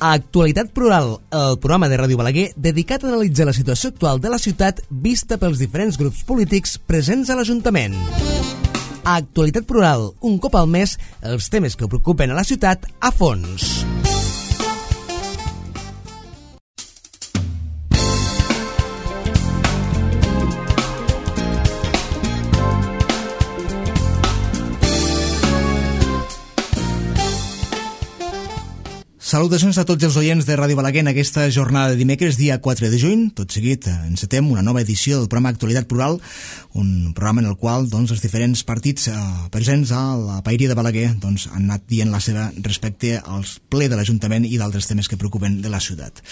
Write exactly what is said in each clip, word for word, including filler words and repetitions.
Actualitat Plural, el programa de Ràdio Balaguer dedicat a analitzar la situació actual de la ciutat vista pels diferents grups polítics presents a l'Ajuntament. Actualitat Plural, un cop al mes, els temes que preocupen a la ciutat a fons. Salutacions a tots els oients de Ràdio Balaguer en aquesta jornada de dimecres, dia quatre de juny. Tot seguit encetem una nova edició del programa Actualitat Plural, un programa en el qual doncs, els diferents partits eh, presents a la paeria de Balaguer doncs, han anat dient la seva respecte als ple de l'Ajuntament i d'altres temes que preocupen de la ciutat.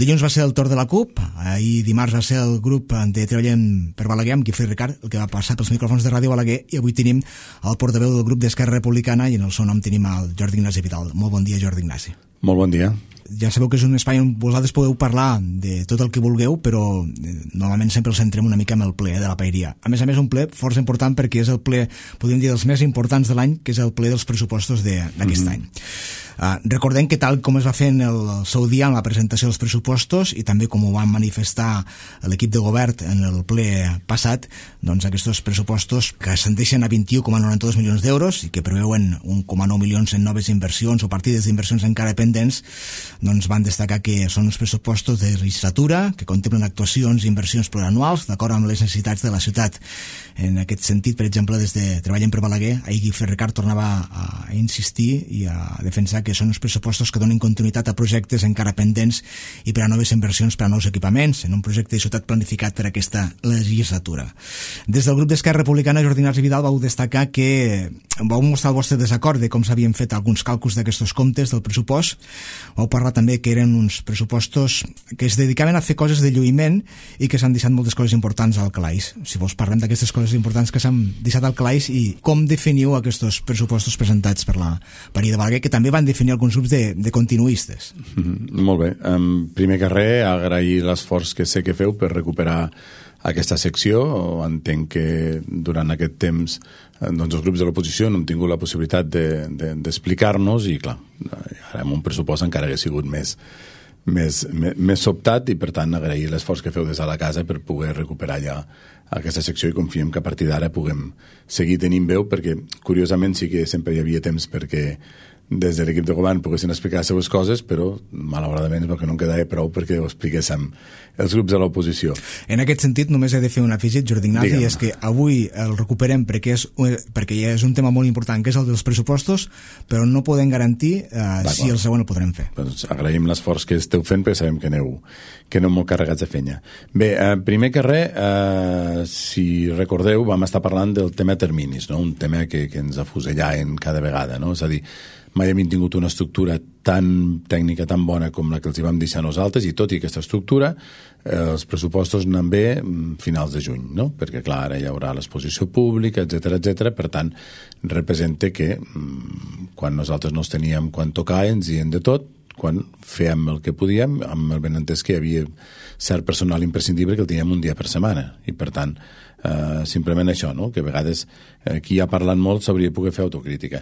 Dilluns va ser el torn de la CUP, ahir dimarts va ser el grup de Treballem per Balaguer amb Guifré Ricard, el que va passar pels micròfons de Ràdio Balaguer, i avui tenim el portaveu del grup d'Esquerra Republicana i en el seu nom tenim el Jordi Ignasi Vidal. Molt bon dia, Jordi Ignasi. Molt bon dia. Ja sabeu que és un espai on vosaltres podeu parlar de tot el que vulgueu, però eh, normalment sempre el centrem una mica en el ple de la paeria. A més a més, un ple força important perquè és el ple, podríem dir, dels més importants de l'any, que és el ple dels pressupostos d'aquest mm-hmm. any. Uh, recordem que tal com es va fer en el seu dia en la presentació dels pressupostos i també com ho van manifestar l'equip de govern en el ple passat, doncs aquests pressupostos que ascendeixen a vint-i-u coma noranta-dos milions d'euros i que preveuen un coma nou milions en noves inversions o partides d'inversions encara pendents, doncs van destacar que són uns pressupostos de legislatura que contemplen actuacions i inversions plurianuals d'acord amb les necessitats de la ciutat. En aquest sentit, per exemple, des de Treballem per Balaguer, ahir Guifré Ricard tornava a insistir i a defensar que són uns pressupostos que donen continuïtat a projectes encara pendents i per a noves inversions per a nous equipaments en un projecte de ciutat planificat per a aquesta legislatura. Des del grup d'Esquerra Republicana, Jordi Ignasi Vidal, vau destacar que vau mostrar el vostre desacord de com s'havien fet alguns càlculs d'aquests comptes del pressupost. Vau parlar també que eren uns pressupostos que es dedicaven a fer coses de lluïment i que s'han deixat moltes coses importants al calaix. Si vols parlem d'aquestes coses importants que s'han deixat al calaix i com definiu aquests pressupostos presentats per la paeria de Balaguer, que també van definir alguns grups de, de continuistes. Mm-hmm. Molt bé. Um, primer que res, agrair l'esforç que sé que feu per recuperar aquesta secció. Entenc que durant aquest temps doncs els grups de l'oposició no hem tingut la possibilitat d'explicar-nos de, de, i clar, ara amb un pressupost encara hauria sigut més, més, més, més sobtat i per tant agrair l'esforç que feu des de la casa per poder recuperar ja aquesta secció i confiem que a partir d'ara puguem seguir tenint veu, perquè curiosament sí que sempre hi havia temps perquè des de l'equip de govern poguessin explicar les seves coses, però malauradament és perquè no en quedava prou perquè ho expliquéssim els grups de l'oposició. En aquest sentit, només he de fer un afegit, Jordi Ignasi, Digue'm. és que avui el recuperem perquè és, perquè ja és un tema molt important, que és el dels pressupostos, però no podem garantir eh, si el següent el podrem fer. Doncs agraïm l'esforç que esteu fent perquè sabem que aneu, que aneu molt carregats de feina. Bé, eh, primer que res, eh, si recordeu, vam estar parlant del tema terminis, no? Un tema que, que ens afusellaven cada vegada, no? És a dir, mai hem tingut una estructura tan tècnica, tan bona com la que els hi vam deixar nosaltres, i tot i aquesta estructura, eh, els pressupostos anen bé finals de juny, no? Perquè, clar, ara hi haurà l'exposició pública, etcètera, etcètera. Per tant, representa que mm, quan nosaltres no els teníem quan tocar, ens dient de tot, quan fèiem el que podíem, amb el benentès que hi havia cert personal imprescindible que el teníem un dia per setmana, i per tant, Uh, simplement això, no? Que a vegades uh, qui ha parlat molt s'hauria de poder fer autocrítica.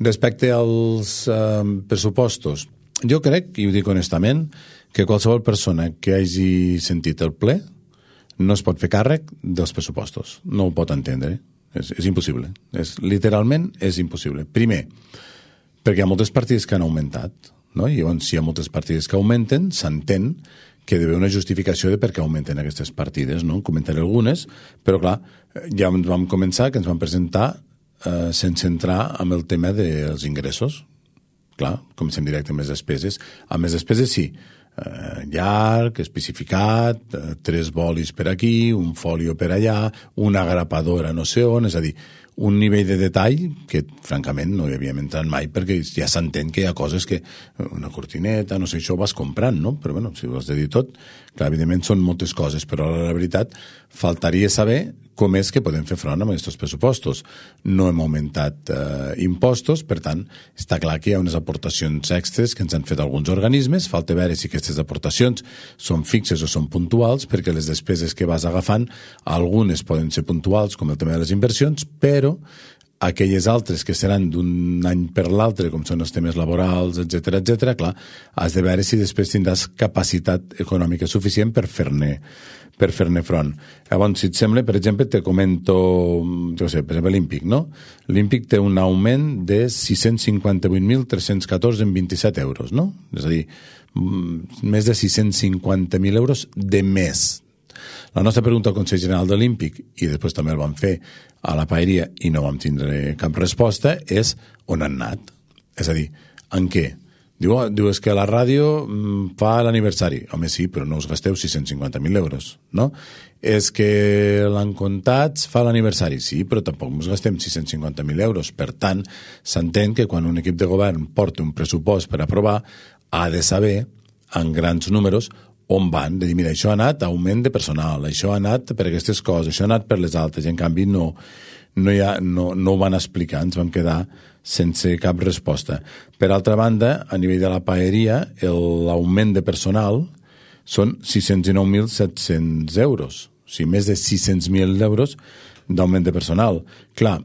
Respecte als uh, pressupostos, jo crec, i ho dic honestament, que qualsevol persona que hagi sentit el ple no es pot fer càrrec dels pressupostos, no ho pot entendre, és, és impossible, és, literalment és impossible. Primer, perquè hi ha moltes partides que han augmentat, no? I llavors si hi ha moltes partides que augmenten, s'entén que hi ha d'haver una justificació de per què augmenten aquestes partides, no? En comentaré algunes, però clar, ja vam començar que ens vam presentar eh, sense entrar en el tema dels ingressos. Clar, comencem directe amb les despeses. Amb les despeses sí, eh, llarg, especificat, eh, tres bolis per aquí, un folio per allà, una grapadora no sé on, és a dir, un nivell de detall que, francament, no hi havíem entrat mai perquè ja s'entén que hi ha coses que una cortineta, no sé, això ho vas comprant, no? Però, bueno, si ho has de dir tot, clar, evidentment són moltes coses, però la veritat faltaria saber com és que podem fer front amb aquests pressupostos. No hem augmentat eh, impostos, per tant, està clar que hi ha unes aportacions extres que ens han fet alguns organismes, falta veure si aquestes aportacions són fixes o són puntuals, perquè les despeses que vas agafant, algunes poden ser puntuals, com el tema de les inversions, però aquelles altres que seran d'un any per l'altre, com són els temes laborals, etcètera, etcètera, clar, has de veure si després tindràs capacitat econòmica suficient per fer-ne per fer-ne front. Llavors, si et sembla, per exemple, te comento, jo sé, per exemple, l'Olímpic, no? L'Olímpic té un augment de sis-cents cinquanta-vuit mil tres-cents catorze en vint-i-set euros, no? És a dir, més de sis-cents cinquanta mil euros de més. La nostra pregunta al Consell General de l'Olímpic, i després també el vam fer a la paeria i no vam tindre cap resposta, és on han anat. És a dir, en què? Diu, oh, diu, és que la ràdio mm, fa l'aniversari. Home, sí, però no us gasteu sis-cents cinquanta mil euros, no? És que l'Encontats fa l'aniversari. Sí, però tampoc us gastem sis-cents cinquanta mil euros. Per tant, s'entén que quan un equip de govern porta un pressupost per aprovar, ha de saber, en grans números, on van. De dir, mira, això ha anat a augment de personal, això ha anat per aquestes coses, això ha anat per les altres. I en canvi, no, no, hi ha, no, no ho van explicar. Ens vam quedar sense cap resposta. Per altra banda, a nivell de la paeria, l'augment de personal són sis-cents dinou mil set-cents euros. O sigui, més de sis-cents mil euros d'augment de personal. Clar,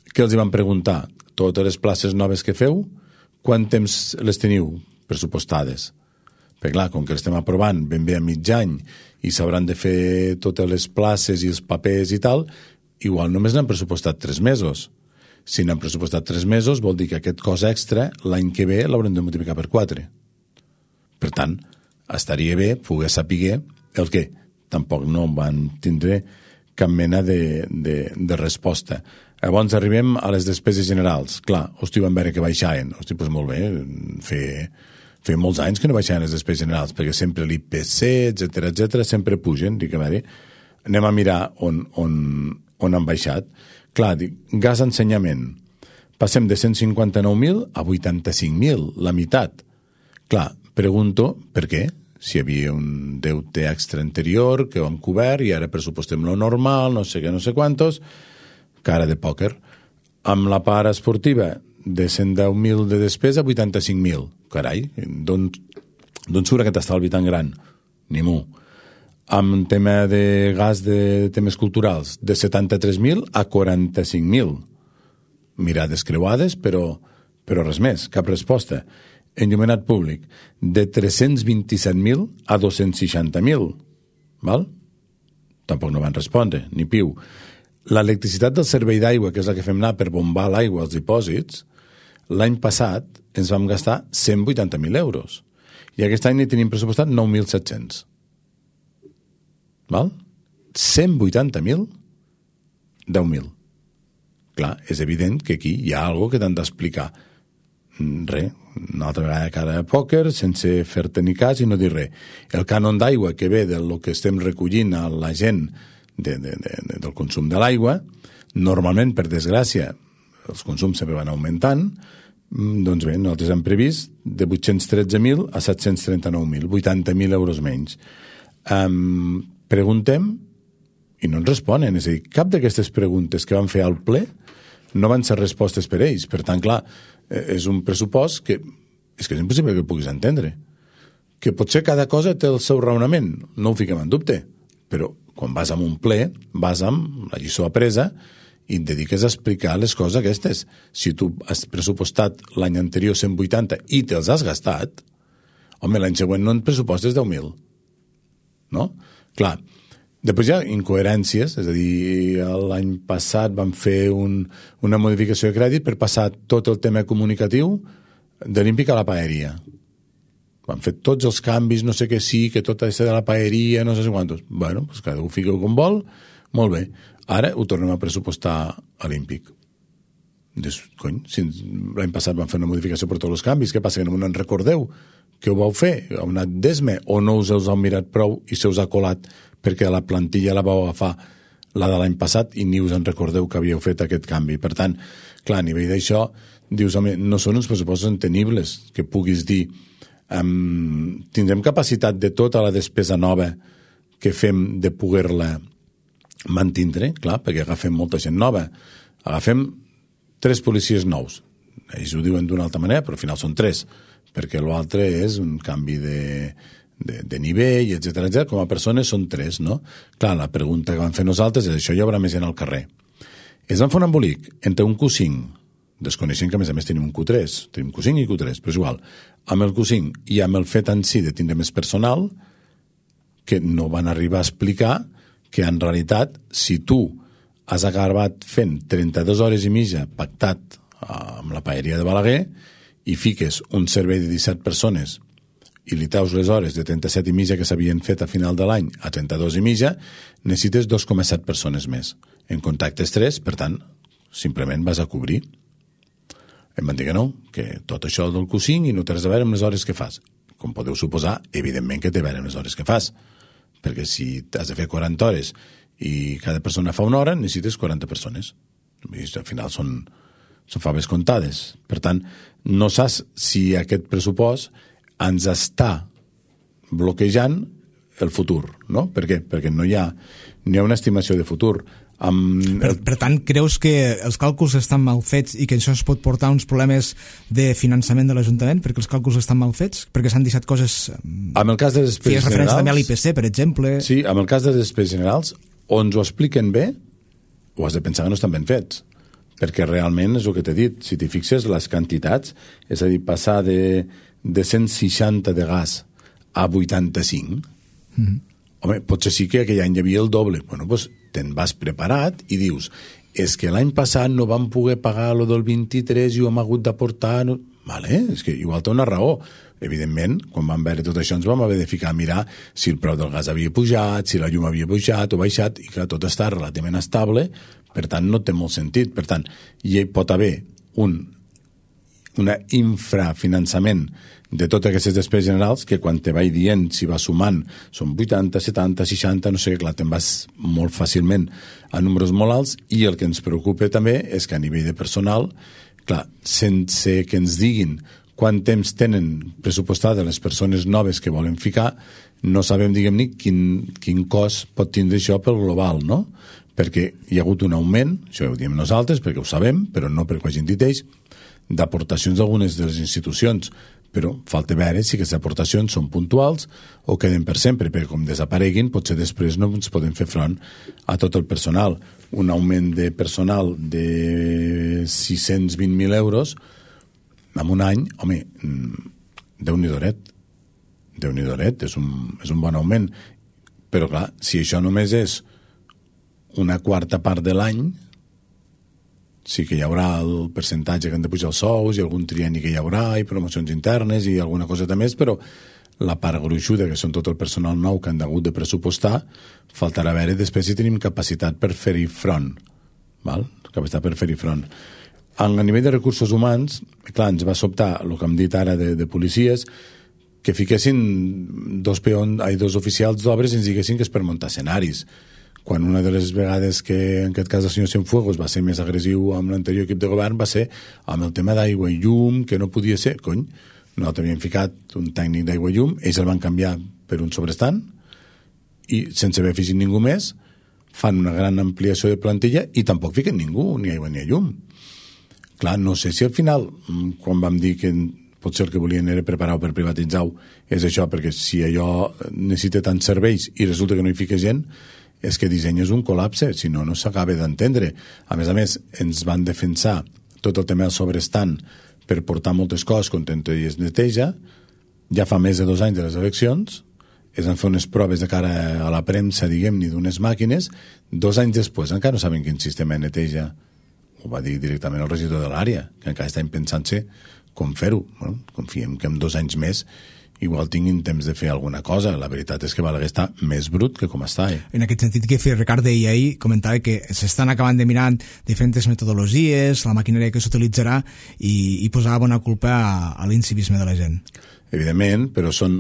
què els hi van preguntar? Totes les places noves que feu, quant temps les teniu pressupostades? Perquè clar, com que estem aprovant ben bé a mig any i s'hauran de fer totes les places i els papers i tal, igual només n'han pressupostat tres mesos. Si n'han pressupostat tres mesos, vol dir que aquest cost extra, l'any que ve, l'haurem de multiplicar per quatre. Per tant, estaria bé poder saber el què. Tampoc no van tindre cap mena de, de, de resposta. Llavors arribem a les despeses generals. Clar, hosti, van veure que baixaven. Hosti, doncs molt bé, fer, fer molts anys que no baixaven les despeses generals, perquè sempre l'I P C, etcètera, etcètera, sempre pugen. Dic, a veure, anem a mirar on, on, on han baixat. Clar, dic, gas ensenyament. Passem de cent cinquanta-nou mil a vuitanta-cinc mil, la meitat. Clar, pregunto per què? Si hi havia un deute extra anterior que ho hem cobert i ara pressupostem lo normal, no sé què, no sé quantos, cara de pòquer. Amb la part esportiva, de cent deu mil de despesa a vuitanta-cinc mil. Carai, d'on surt aquest estalvi tan gran? Ni mu. Amb tema de gas de temes culturals, de setanta-tres mil a quaranta-cinc mil. Mirades creuades, però, però res més, cap resposta. Enllumenat públic, de tres-cents vint-i-set mil a dos-cents seixanta mil. Val? Tampoc no van respondre, ni piu. L'electricitat del servei d'aigua, que és la que fem anar per bombar l'aigua als dipòsits, l'any passat ens vam gastar cent vuitanta mil euros. I aquest any n'hi tenim pressupostat nou mil set-cents. Val? cent vuitanta mil? deu mil. Clar, és evident que aquí hi ha alguna cosa que t'han d'explicar. Res, una altra vegada cara a pòquer, sense fer-te ni cas i no dir res. El cànon d'aigua que ve del que estem recollint a la gent de, de, de, de, del consum de l'aigua, normalment, per desgràcia, els consums sempre van augmentant, doncs bé, nosaltres hem previst de vuit-cents tretze mil a set-cents trenta-nou mil, vuitanta mil euros menys. Um, preguntem i no ens responen. És a dir, cap d'aquestes preguntes que van fer al ple no van ser respostes per ells. Per tant, clar, és un pressupost que és que és impossible que puguis entendre. Que potser cada cosa té el seu raonament, no ho fiquem en dubte, però quan vas a un ple, vas amb la lliçó apresa i et dediques a explicar les coses aquestes. Si tu has pressupostat l'any anterior cent vuitanta i te'ls has gastat, home, l'any següent no en pressupostes deu mil. No? Clar, després hi ha incoherències, és a dir, l'any passat vam fer un, una modificació de crèdit per passar tot el tema comunicatiu de l'Olímpic a la paeria. Vam fer tots els canvis, no sé què sí, que tot això de la paeria, no sé quantos. Bueno, doncs cada un fiqueu com vol, molt bé. Ara ho tornem a pressupostar a l'Olímpic. Dius, cony, si l'any passat vam fer una modificació per tots els canvis, què passa, que no me'n recordeu? Què ho vau fer? Heu anat d'esme o no us heu mirat prou i se us ha colat perquè la plantilla la vau agafar la de l'any passat i ni us en recordeu que havíeu fet aquest canvi. Per tant, clar, a nivell d'això, dius, home, no són uns pressupostos entenibles que puguis dir um, tindrem capacitat de tota la despesa nova que fem de poder-la mantindre, clar, perquè agafem molta gent nova. Agafem tres policies nous. Ells ho diuen d'una altra manera, però al final són tres, perquè l'altre és un canvi de, de, de nivell, etcètera, etcètera. Com a persones són tres, no? Clar, la pregunta que vam fer nosaltres és això, hi haurà més gent al carrer. Es van fer un embolic entre un Q cinc, desconeixent que a més a més tenim un Q tres, tenim Q cinc i Q tres, però és igual, amb el Q cinc i amb el fet en si de tindre més personal, que no van arribar a explicar que en realitat, si tu has acabat fent trenta-dues hores i mitja pactat amb la paeria de Balaguer i fiques un servei de disset persones i li treus les hores de trenta-set i mitja que s'havien fet a final de l'any a trenta-dos i mitja, necessites dos coma set persones més. En contactes tres, per tant, simplement vas a cobrir. Em van dir que no, que tot això del Q cinc i no té res a veure amb les hores que fas. Com podeu suposar, evidentment que té a veure amb les hores que fas, perquè si has de fer quaranta hores i cada persona fa una hora, necessites quaranta persones. I al final són, són faves comptades. Per tant, no saps si aquest pressupost ens està bloquejant el futur, no? Per què? Perquè no hi ha, no hi ha una estimació de futur. Amb per, per tant, creus que els càlculs estan mal fets i que això es pot portar a uns problemes de finançament de l'Ajuntament perquè els càlculs estan mal fets? Perquè s'han deixat coses... Amb el cas de despeses generals... Fes referència també a l'I P C, per exemple... Sí, amb el cas de despeses generals, o ens ho expliquen bé o has de pensar que no estan ben fets. Perquè realment, és el que t'he dit, si t'hi fixes, les quantitats, és a dir, passar de, de cent seixanta de gas a vuitanta-cinc, mm-hmm. home, potser sí que aquell any hi havia el doble. Bueno, doncs te'n vas preparat i dius, és que l'any passat no vam poder pagar lo del vint-i-tres i ho hem hagut d'aportar... No... Vale, és que igual té una raó. Evidentment, quan vam veure tot això ens vam haver de ficar a mirar si el preu del gas havia pujat, si la llum havia pujat o baixat, i clar, tot està relativament estable, per tant no té molt sentit. Per tant, hi pot haver un una infrafinançament de totes aquestes despeses generals que quan te vaig dient, si va sumant, són vuitanta, setanta, seixanta, no sé, clar, te'n vas molt fàcilment a números molt alts, i el que ens preocupa també és que a nivell de personal, clar, sense que ens diguin quant temps tenen pressupostada les persones noves que volen ficar, no sabem, diguem-ne, quin, quin cost pot tindre això pel global, no? Perquè hi ha hagut un augment, això ho diem nosaltres, perquè ho sabem, però no perquè ho hagin dit ells, d'aportacions d'algunes de les institucions, però falta veure si aquestes aportacions són puntuals o queden per sempre, perquè com desapareguin potser després no ens podem fer front a tot el personal. Un augment de personal de sis-cents vint mil euros en un any, home, Déu-n'hi-doret, Déu-n'hi-doret, és un, és un bon augment, però clar, si això només és una quarta part de l'any, sí que hi haurà el percentatge que han de pujar els sous i algun trienni que hi haurà i promocions internes i alguna coseta més, però la part gruixuda, que són tot el personal nou que han hagut de pressupostar, faltarà veure després si tenim capacitat per fer-hi front. Val? Capacitat per fer-hi front. A nivell de recursos humans, clar, ens va sobtar el que hem dit ara de, de policies, que fiquessin dos, peons, ai, dos oficials d'obres i ens diguessin que és per muntar escenaris. Quan una de les vegades que, en aquest cas, el senyor Cienfuegos va ser més agressiu amb l'anterior equip de govern va ser amb el tema d'aigua i llum, que no podia ser, cony, nosaltres havíem ficat un tècnic d'aigua i llum, ells el van canviar per un sobrestant i sense haver afegit ningú més fan una gran ampliació de plantilla i tampoc fiquen ningú, ni aigua ni llum. Clar, no sé si al final, quan vam dir que potser el que volien era preparar-ho per privatitzar-ho, és això, perquè si allò necessita tants serveis i resulta que no hi fica gent, és que disseny és un col·lapse, si no, no s'acaba d'entendre. A més a més, ens van defensar tot el tema del sobrestant per portar moltes coses contra i es neteja. Ja fa més de dos anys de les eleccions, es van fer unes proves de cara a la premsa, diguem-ne, d'unes màquines, dos anys després encara no saben quin sistema de neteja. Ho va dir directament el regidor de l'àrea, que encara estan pensant-se com fer-ho. Bueno, confiem que en dos anys més igual tinguin temps de fer alguna cosa. La veritat és que Balaguer està més brut que com està. Eh? En aquest sentit que feia Ricard deia ahir, comentava que s'estan acabant de mirar diferents metodologies, la maquinària que s'utilitzarà i, i posava bona culpa a, a l'incivisme de la gent. Evidentment, però són...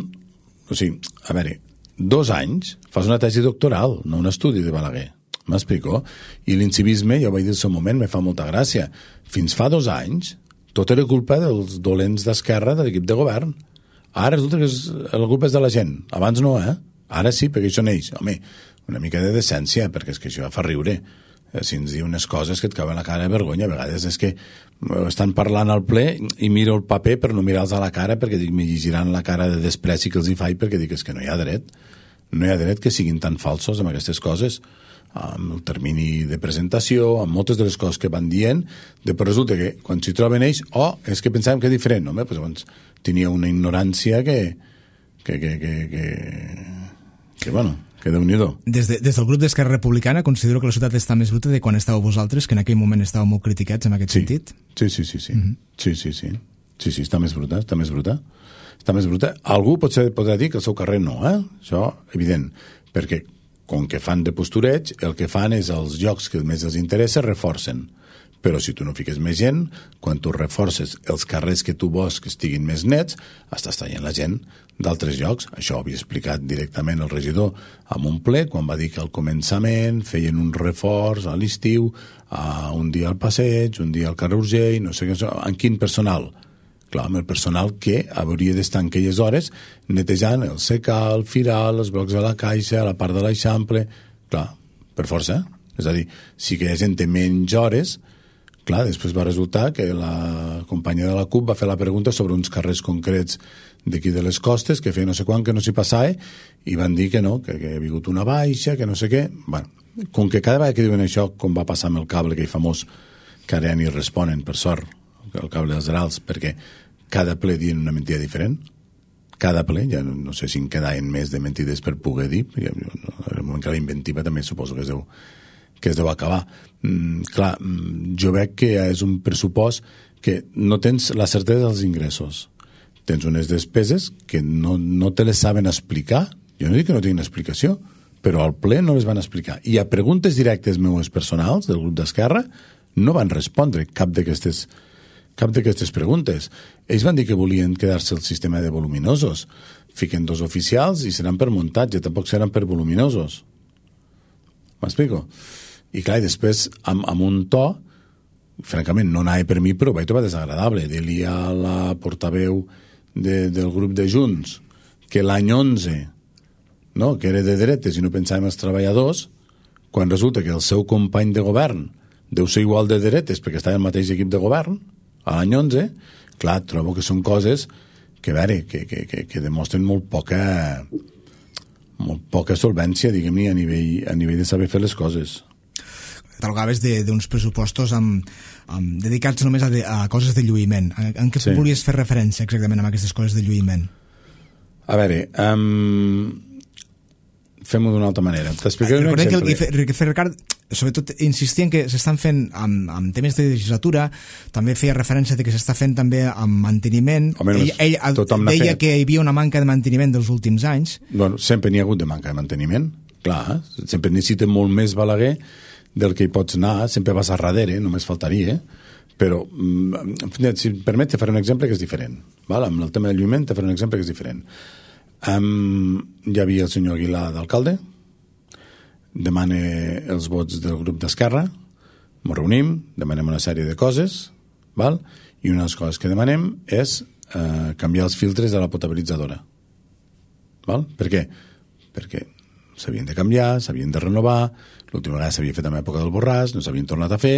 O sigui, a veure, dos anys fas una tesi doctoral, no un estudi de Balaguer. M'explico? I l'incivisme, ja ho vaig dir al seu moment, me fa molta gràcia. Fins fa dos anys, tot era culpa dels dolents d'esquerra de l'equip de govern. Ara resulta que és, la culpa és de la gent. Abans no, eh? Ara sí, perquè això neix. Home, una mica de decència, perquè és que això fa riure. Si ens diu unes coses que et cauen la cara de vergonya, a vegades és que estan parlant al ple i miro el paper per no mirar-los a la cara perquè dic, me llegiran la cara de despreci que els hi faig perquè dic, és que no hi ha dret. No hi ha dret que siguin tan falsos amb aquestes coses. amb el termini de presentació, amb moltes de les coses que van dient, després resulta que quan s'hi troben ells, oh, és que pensàvem que és diferent, no? Pues, doncs, tenia una ignorància que que, que, que, que, que bueno, que déu-n'hi-do. Des, de, des del grup d'Esquerra Republicana considero que la ciutat està més bruta de quan estàveu vosaltres, que en aquell moment estàveu molt criticats en aquest sí. sentit. Sí, sí, sí, sí. Mm-hmm. sí, sí, sí. Sí, sí, està més bruta, està més bruta. Està més bruta. Algú potser podrà dir que el seu carrer no, eh? Això, evident, perquè com que fan de postureig, el que fan és els llocs que més els interessa reforcen. Però si tu no fiques més gent, quan tu reforces els carrers que tu vols que estiguin més nets, estàs traient la gent d'altres llocs. Això ho havia explicat directament el regidor amb un ple, quan va dir que al començament feien un reforç a l'estiu, a un dia al passeig, un dia al carrer Urgell, no sé què, en quin personal? Clar, amb el personal que hauria d'estar en aquelles hores netejant el secal, el firal, els blocs de la caixa, la part de l'eixample. Clar, per força. És a dir, si aquella gent té menys hores, clar, després va resultar que la companya de la C U P va fer la pregunta sobre uns carrers concrets d'aquí de les costes, que feia no sé quan que no s'hi passava, i van dir que no, que, que hi havia hagut una baixa, que no sé què. Bueno, com que cada vegada que diuen això, com va passar amb el cable, aquell famós, que ara ja ni responen, per sort, el cable dels Herals, perquè cada ple dient una mentida diferent, cada ple, ja no, no sé si en quedaven més de mentides per poder dir, ja, en el moment que la inventiva també suposo que es deu, que es deu acabar. Mm, clar, jo veig que és un pressupost que no tens la certesa dels ingressos. Tens unes despeses que no, no te les saben explicar. Jo no dic que no tinguin explicació, però al ple no les van explicar. I a preguntes directes meues personals del grup d'Esquerra no van respondre cap d'aquestes cap d'aquestes preguntes. Ells van dir que volien quedar-se el sistema de voluminosos. Fiquen dos oficials i seran per muntatge, tampoc seran per voluminosos. M'explico? I clar, i després, amb, amb un to, francament, no anava per mi, però ho vaig trobar desagradable. Dir-li a la portaveu de, del grup de Junts que l'any onze, no, que era de dretes i no pensàvem els treballadors, quan resulta que el seu company de govern deu ser igual de dretes perquè estava en el mateix equip de govern, a l'any onze, clar, trobo que són coses que, a veure, que, que, que, que demostren molt poca molt poca solvència, diguem-ne, a nivell, a nivell de saber fer les coses. Catalogaves d'uns pressupostos amb, amb, dedicats només a, de, a coses de lluïment. En, en què sí. volies fer referència exactament amb aquestes coses de lluïment? A veure, um, fem-ho d'una altra manera. T'explicaré un exemple. Que el que feia Ricard, sobretot, insistia en que s'estan fent amb, amb temes de legislatura, també feia referència de que s'està fent també amb manteniment. Home, ell, ell, ell deia que hi havia una manca de manteniment dels últims anys. Bueno, sempre n'hi ha hagut de manca de manteniment, clar, sempre necessita molt més Balaguer del que hi pots anar, sempre vas a darrere, només faltaria, però si em permet, te faré un exemple que és diferent, val? Amb el tema del lluïment te faré un exemple que és diferent. Um, hi havia el senyor Aguilar d'alcalde, demana els vots del grup d'Esquerra, ens reunim, demanem una sèrie de coses, val? I una de les coses que demanem és eh, canviar els filtres de la potabilitzadora. Val? Per què? Perquè s'havien de canviar, s'havien de renovar, l'última vegada s'havia fet en l'època del Borràs, no s'havien tornat a fer,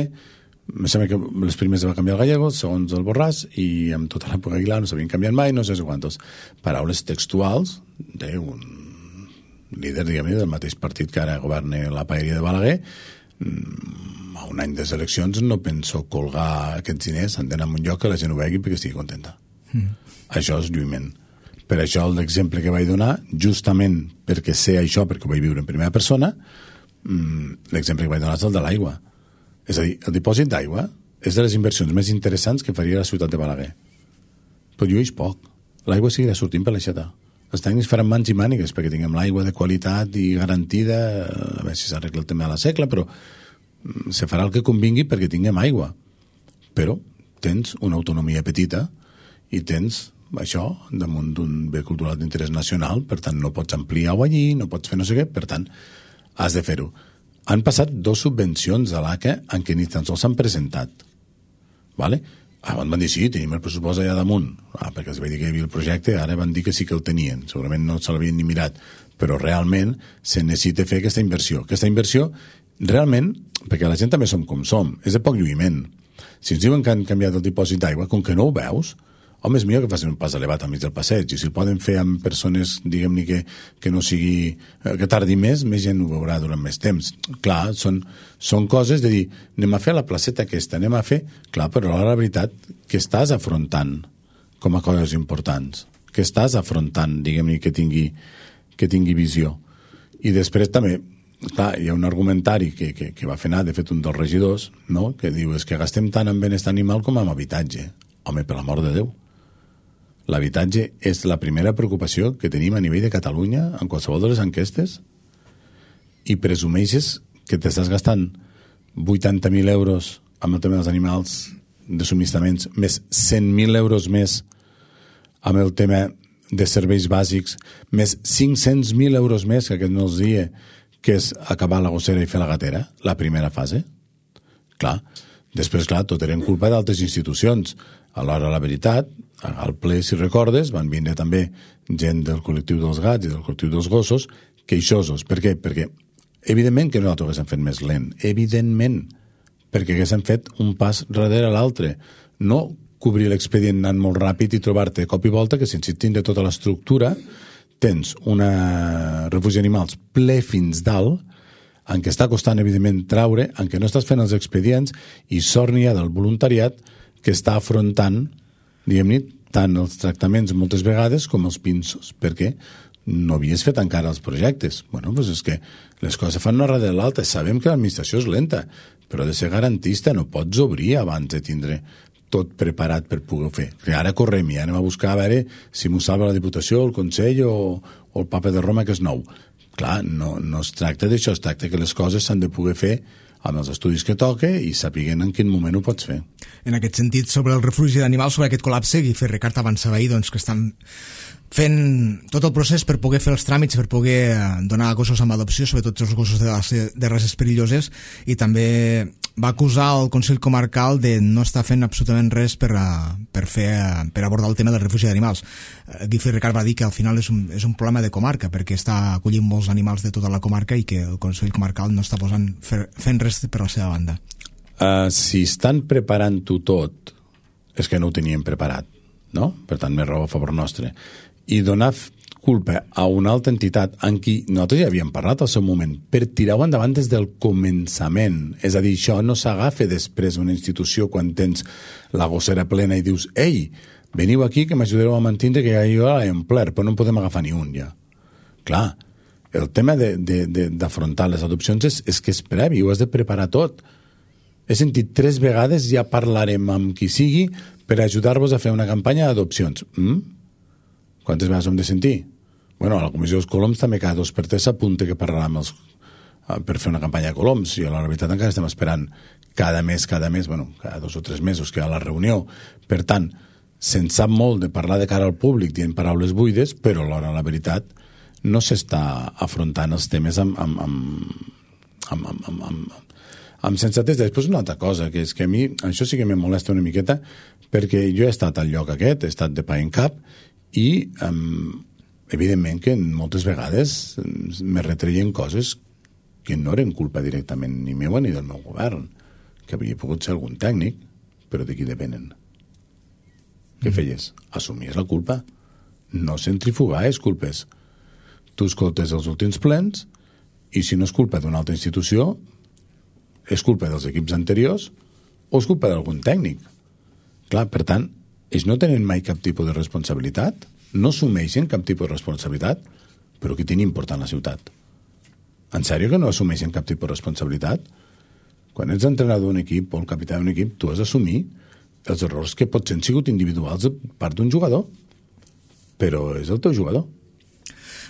em sembla que les primeres va canviar el Gallego, segons el Borràs, i amb tota l'època Aguilar no s'havien canviat mai, no sé quantos. Paraules textuals d'un líder, diguem-ne, del mateix partit que ara governa la paeria de Balaguer. A un any de eleccions no penso colgar aquests diners, han d'anar a un lloc que la gent ho vegi perquè estigui contenta. Mm. Això és lluïment. Per això l'exemple que vaig donar, justament perquè sé això, perquè ho vaig viure en primera persona, l'exemple que vaig donar és el de l'aigua. És a dir, el dipòsit d'aigua és de les inversions més interessants que faria la ciutat de Balaguer. Però llueix poc. L'aigua seguirà sortint per l'aixeta. Els tècnics faran mans i mànigues perquè tinguem l'aigua de qualitat i garantida, a veure si s'arregla el tema de la segle, però se farà el que convingui perquè tinguem aigua. Però tens una autonomia petita i tens això damunt d'un bé cultural d'interès nacional, per tant no pots ampliar-ho allí, no pots fer no sé què, per tant has de fer-ho. Han passat dos subvencions a l'A C A en què ni tan sols s'han presentat. Vale? Abans van dir, sí, tenim el pressupost allà damunt. Ah, perquè els vaig dir que hi havia el projecte, ara van dir que sí que el tenien. Segurament no se l'havien ni mirat. Però realment se necessita fer aquesta inversió. Aquesta inversió, realment, perquè la gent també som com som, és de poc lluïment. Si ens diuen que han canviat el dipòsit d'aigua, com que no ho veus, home, és millor que facin un pas elevat al mig del passeig, i si el poden fer amb persones, diguem-ne, que, que no sigui, que tardi més, més gent ho veurà durant més temps. Clar, són, són coses de dir, anem a fer la placeta aquesta, anem a fer... Clar, però ara la veritat, que estàs afrontant com a coses importants, que estàs afrontant, diguem-ne, que tingui, que tingui visió. I després també, clar, hi ha un argumentari que, que, que va fer anar, de fet, un dels regidors, no?, que diu, és que gastem tant en benestar animal com en habitatge. Home, per l'amor de Déu. L'habitatge és la primera preocupació que tenim a nivell de Catalunya en qualsevol de les enquestes, i presumeixes que t'estàs gastant vuitanta mil euros amb el tema dels animals de subministraments, més cent mil euros més amb el tema de serveis bàsics, més cinc-cents mil euros més, que aquest no els dia, que és acabar la gossera i fer la gatera, la primera fase. Clar, després, clar, tot eren culpa d'altres institucions. Alhora, la veritat, al ple, si recordes, van vindre també gent del col·lectiu dels gats i del col·lectiu dels gossos, queixosos. Per què? Perquè, evidentment que nosaltres haguéssim fet més lent, evidentment, perquè haguéssim fet un pas darrere l'altre. No cobrir l'expedient anant molt ràpid i trobar-te cop i volta que sense tindre tota l'estructura tens una refugi d'animals ple fins dalt, en què està costant, evidentment, traure, en què no estàs fent els expedients, i sort n'hi ha del voluntariat que està afrontant, diguem-ne, tant els tractaments moltes vegades com els pinços, perquè no havies fet encara els projectes. Bueno, doncs és que les coses fan una darrere l'altra. Sabem que l'administració és lenta, però ha de ser garantista, no pots obrir abans de tindre tot preparat per poder fer. Que ara correm i anem a buscar a veure si m'ho salva la Diputació, el Consell o, o el Papa de Roma, que és nou. Clar, no, no es tracta d'això, es tracta que les coses s'han de poder fer amb els estudis que toque i sapiguent en quin moment ho pots fer. En aquest sentit, sobre el refugi d'animals, sobre aquest col·lapse, Guy Ferricart avançava ahir doncs, que estan fent tot el procés per poder fer els tràmits, per poder donar gossos amb adopció, sobretot els gossos de, de races perilloses, i també va acusar el Consell Comarcal de no estar fent absolutament res per, per, fer, per abordar el tema del refugi d'animals. Guy Ferricart va dir que al final és un, és un problema de comarca, perquè està acollint molts animals de tota la comarca i que el Consell Comarcal no està posant, fer, fent res per la seva banda. Uh, si estan preparant-ho tot, és que no ho tenien preparat, no? Per tant, més raó a favor nostre. I donar culpa a una altra entitat en qui nosaltres ja havíem parlat al seu moment, per tirar-ho endavant des del començament. És a dir, això no s'agafa després d'una institució quan tens la gossera plena i dius, ei, veniu aquí que m'ajudareu a mantenir que ja jo l'he omplert, però no en podem agafar ni un ja. Clar, el tema d'afrontar les adopcions és, és que és previ, ho has de preparar tot. He sentit tres vegades, ja parlarem amb qui sigui per ajudar-vos a fer una campanya d'adopcions. Mm? Quantes vegades hem de sentir? Bueno, a la Comissió dels Coloms també cada dos per tres s'apunta que parlarà els, per fer una campanya de coloms, i a la veritat encara estem esperant cada mes, cada mes, bueno, cada dos o tres mesos que hi ha la reunió. Per tant, se'n sap molt de parlar de cara al públic dient paraules buides, però alhora la veritat no s'està afrontant els temes amb, amb, amb, amb, amb, amb, amb, amb sensatesa. Després una altra cosa, que és que a mi això sí que me molesta una miqueta, perquè jo he estat al lloc aquest, he estat de pa en cap, i um, evidentment que moltes vegades me retreien coses que no eren culpa directament ni meua ni del meu govern, que havia pogut ser algun tècnic, però de qui depenen. Què mm. feies? Assumies la culpa. No centrifugaves culpes. Tu escoltes els últims plens i si no és culpa d'una altra institució, és culpa dels equips anteriors o és culpa d'algun tècnic. Clar, per tant, ells no tenen mai cap tipus de responsabilitat, no assumeixen cap tipus de responsabilitat, però que tenen important la ciutat. En sèrio que no assumeixen cap tipus de responsabilitat? Quan ets entrenador d'un equip o el capità d'un equip, tu has d'assumir els errors que potser han sigut individuals de part d'un jugador, però és el teu jugador.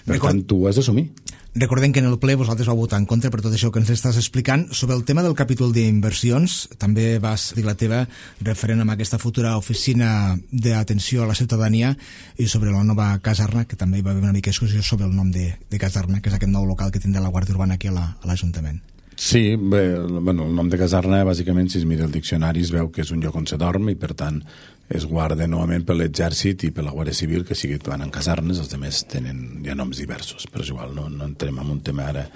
Per Record... tant, tu ho has d'assumir. Recordem que en el ple vosaltres vau votar en contra per tot això que ens estàs explicant. Sobre el tema del capítol d'inversions, també vas dir la teva referent amb aquesta futura oficina d'atenció a la ciutadania i sobre la nova caserna, que també hi va haver una mica discussió sobre el nom de, de caserna, que és aquest nou local que tindrà la Guàrdia Urbana aquí a l'Ajuntament. Sí, bé, bueno, el nom de caserna, bàsicament, si es mira el diccionari, es veu que és un lloc on se dorm i, per tant, es guarden novament per l'exèrcit i per la Guàrdia Civil, que sí que van en casernes, els altres tenen ja noms diversos, però és igual, no, no entrem en un tema ara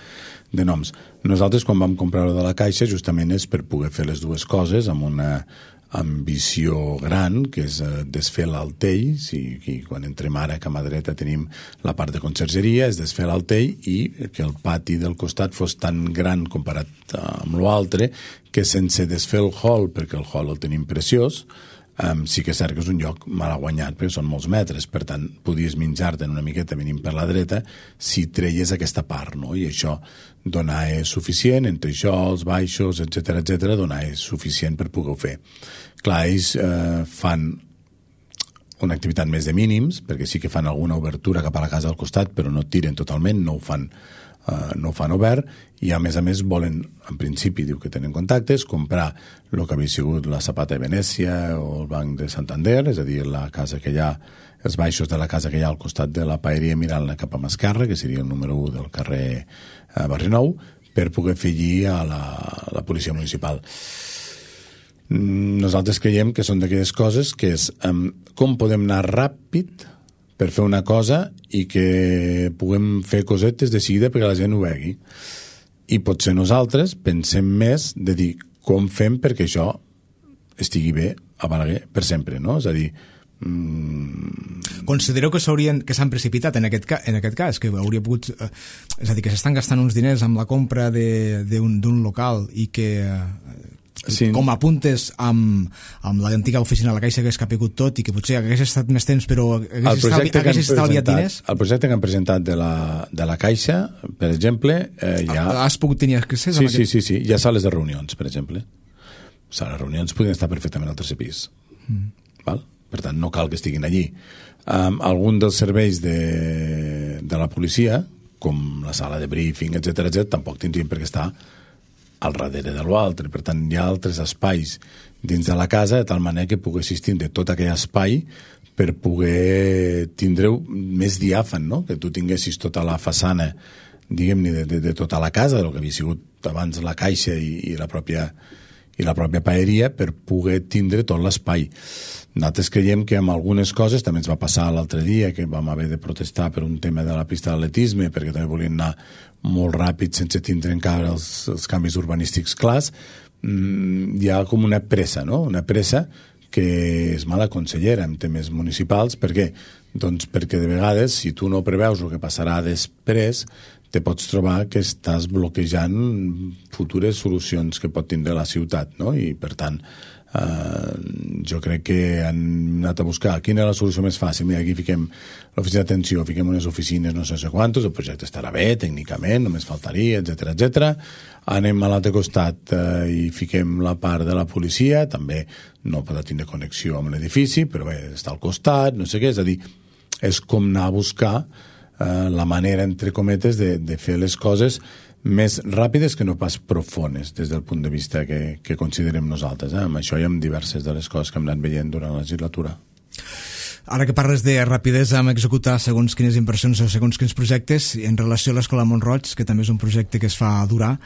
de noms. Nosaltres, quan vam comprar-ho de la Caixa, justament és per poder fer les dues coses amb una ambició gran, que és eh, desfer l'altell. Sí, i quan entrem ara, que a mà dreta tenim la part de consergeria, és desfer l'altell i que el pati del costat fos tan gran comparat amb l'altre, que sense desfer el hall, perquè el hall el tenim preciós, Um, sí que és cert que és un lloc mal guanyat perquè són molts metres, per tant podies menjar-te'n una miqueta venint per la dreta si treies aquesta part, no? I això donar és suficient, entre això, els baixos, etcètera, etcètera, donar és suficient per poder-ho fer. Clar, ells eh, fan una activitat més de mínims, perquè sí que fan alguna obertura cap a la casa al costat, però no tiren totalment, no ho fan Uh, no ho fan obert, i a més a més volen, en principi diu que tenen contactes, comprar el que havia sigut la Zapata de Venècia o el Banc de Santander, és a dir, la casa que hi ha, els baixos de la casa que hi ha al costat de la paeria mirant-la cap a Mascarra, que seria el número u del carrer uh, Barri Nou, per poder fer allí a la, a la policia municipal. Nosaltres creiem que són d'aquelles coses que és um, com podem anar ràpid per fer una cosa i que puguem fer cosetes de seguida perquè la gent ho vegi. I potser nosaltres pensem més de dir com fem perquè això estigui bé a Balaguer per sempre, no? És a dir... Mm... Considereu que s'haurien que s'han precipitat en aquest, ca, en aquest cas, que hauria pogut... Eh, és a dir, que s'estan gastant uns diners amb la compra d'un local i que... Eh, Sí. Com apuntes amb, amb l'antiga oficina de la Caixa que has capigut tot i que potser hagués estat més temps però hagués estalviat diners? El projecte que han presentat de la, de la Caixa, per exemple, eh, ja... Has pogut tenir accés sí, a sí, sí, sí, hi ha sales de reunions, per exemple. Sales de reunions podien estar perfectament al tercer pis. Mm. Val? Per tant, no cal que estiguin allí. Um, algun dels serveis de, de la policia, com la sala de briefing, etcètera, etcètera, tampoc tindrien per què estar al darrere de l'altre. Per tant, hi ha altres espais dins de la casa, de tal manera que poguessis tindre tot aquell espai per poder tindre-ho més diàfan, no? Que tu tinguessis tota la façana, diguem-ne, de, de, de tota la casa, el que havia sigut abans la Caixa i, i la pròpia i la pròpia paeria, per poder tindre tot l'espai. Nosaltres creiem que amb algunes coses, també ens va passar l'altre dia que vam haver de protestar per un tema de la pista d'atletisme, perquè també volien anar molt ràpid sense tindre encara els, els canvis urbanístics clars. Mm, hi ha com una pressa, no? Una pressa que és mala consellera en temes municipals. Per què? Doncs perquè de vegades, si tu no preveus el que passarà després, te pots trobar que estàs bloquejant futures solucions que pot tindre la ciutat, no? I per tant eh, jo crec que han anat a buscar quina és la solució més fàcil. Mira, aquí fiquem l'oficina d'atenció, fiquem unes oficines no sé quantos, el projecte estarà bé tècnicament, només faltaria, etcètera, etcètera. Anem a l'altre costat eh, i fiquem la part de la policia, també no podrà tindre connexió amb l'edifici, però bé, està al costat, no sé què, és a dir, és com anar a buscar Uh, la manera, entre cometes, de, de fer les coses més ràpides que no pas profones des del punt de vista que, que considerem nosaltres. Eh? Amb això hi ha diverses de les coses que hem anat veient durant la legislatura. Ara que parles de rapidesa en executar segons quines inversions o segons quins projectes, en relació a l'Escola Mont-roig, que també és un projecte que es fa durar,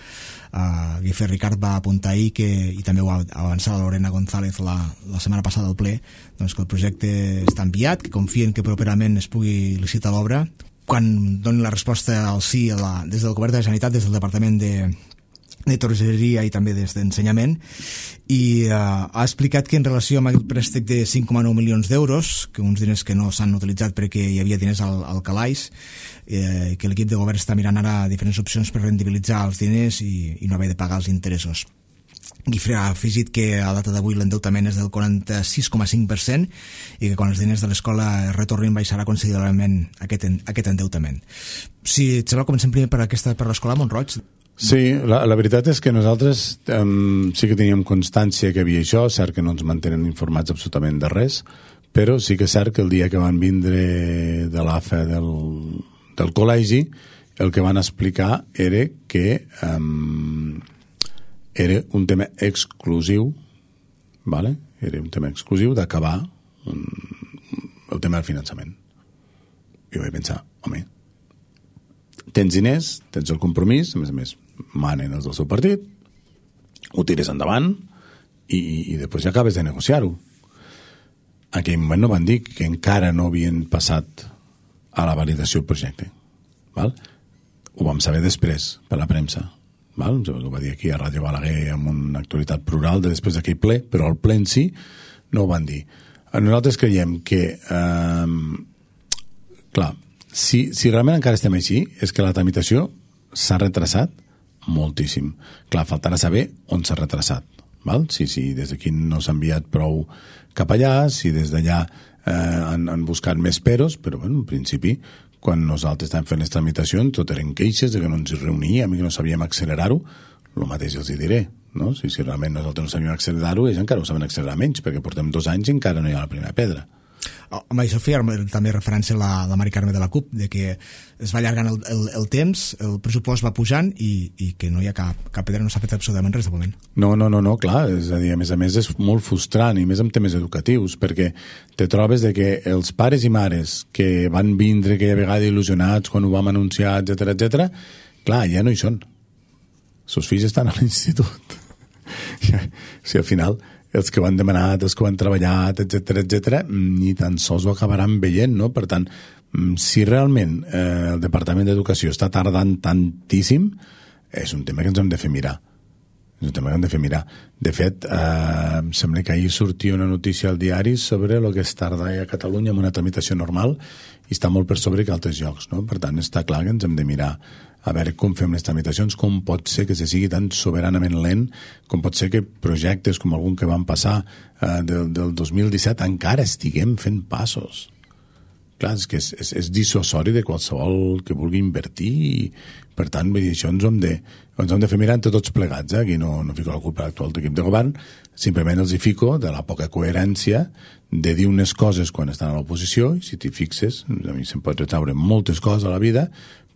uh, Guifré Ricard va apuntar ahir, que, i també ho va avançar la Lorena González la, la setmana passada al ple, doncs que el projecte està enviat, que confien que properament es pugui licitar l'obra, quan doni la resposta al sí a la, des del Govern de la Generalitat, des del Departament de, de Torgeria i també des d'Ensenyament, i uh, ha explicat que en relació amb el préstec de cinc coma nou milions d'euros, que uns diners que no s'han utilitzat perquè hi havia diners al, al calaix, eh, que l'equip de govern està mirant ara diferents opcions per rendibilitzar els diners i, i no haver de pagar els interessos. Guifré ha afegit que a data d'avui l'endeutament és del quaranta-sis coma cinc per cent i que quan els diners de l'escola es retornin baixarà considerablement aquest, aquest endeutament. Si et sembla, comencem primer per, aquesta, per l'escola Mont-roig. Sí, la, la veritat és que nosaltres um, sí que teníem constància que havia això, cert que no ens mantenen informats absolutament de res, però sí que és cert que el dia que van vindre de l'A F A del, del col·legi, el que van explicar era que um, era un tema exclusiu, vale? Era un tema exclusiu d'acabar el tema del finançament. I vaig pensar, home, tens diners, tens el compromís, a més a més manen els del seu partit, ho tires endavant i, i després ja acabes de negociar-ho. en aquell moment no van dir que encara no havien passat a la validació del projecte. Val? Ho vam saber després, per la premsa. Val? Ho va dir aquí a Ràdio Balaguer amb una actualitat plural de després d'aquell ple, però el ple en si no ho van dir. Nosaltres creiem que eh, clar, si, si realment encara estem així és que la tramitació s'ha retrasat moltíssim. Clar, faltarà saber on s'ha retrasat. Val? Si, si des d'aquí no s'ha enviat prou cap allà, si des d'allà eh, han, han buscat més peros, però bueno, en principi quan nosaltres estàvem fent les tramitacions tot eren queixes de que no ens reuníem i que no sabíem accelerar-ho, el mateix els hi diré, no? Si, si realment nosaltres no sabíem accelerar-ho, ells encara ho saben accelerar menys, perquè portem dos anys i encara no hi ha la primera pedra. Oh, amb això feia també referència a la, la Mari Carme de la CUP, de que es va allargant el, el, el temps, el pressupost va pujant i, i que no hi ha cap, cap pedra, no s'ha fet absolutament res de moment. No, no, no, no, clar, és a dir, a més a més és molt frustrant, i més en temes educatius, perquè te trobes de que els pares i mares que van vindre aquella vegada il·lusionats quan ho vam anunciar, etcètera, etcètera, clar, ja no hi són. Els seus fills estan a l'institut. Si al final els que ho han demanat, els que ho han treballat, etcètera, etcètera, ni tan sols ho acabaran veient, no? Per tant, si realment eh, el Departament d'Educació està tardant tantíssim, és un tema que ens hem de fer mirar. És un tema que hem de fer mirar. De fet, eh, em sembla que ahir sortia una notícia al diari sobre el que es tarda a Catalunya en una tramitació normal i està molt per sobre que altres llocs, no? Per tant, està clar que ens hem de mirar a veure com fem les tramitacions, com pot ser que se sigui tan soberanament lent, com pot ser que projectes com algun que van passar eh, del, del dos mil disset encara estiguem fent passos. Clar, és que és, és, és dissuasori de qualsevol que vulgui invertir i, per tant, vull dir, això ens ho hem de, ens hem de fer mirar entre tots plegats, eh? Aquí no, no fico la culpa a l'actual equip de govern, simplement els hi fico de la poca coherència de dir unes coses quan estan a l'oposició, i si t'hi fixes, a mi se'm pot retraure moltes coses a la vida,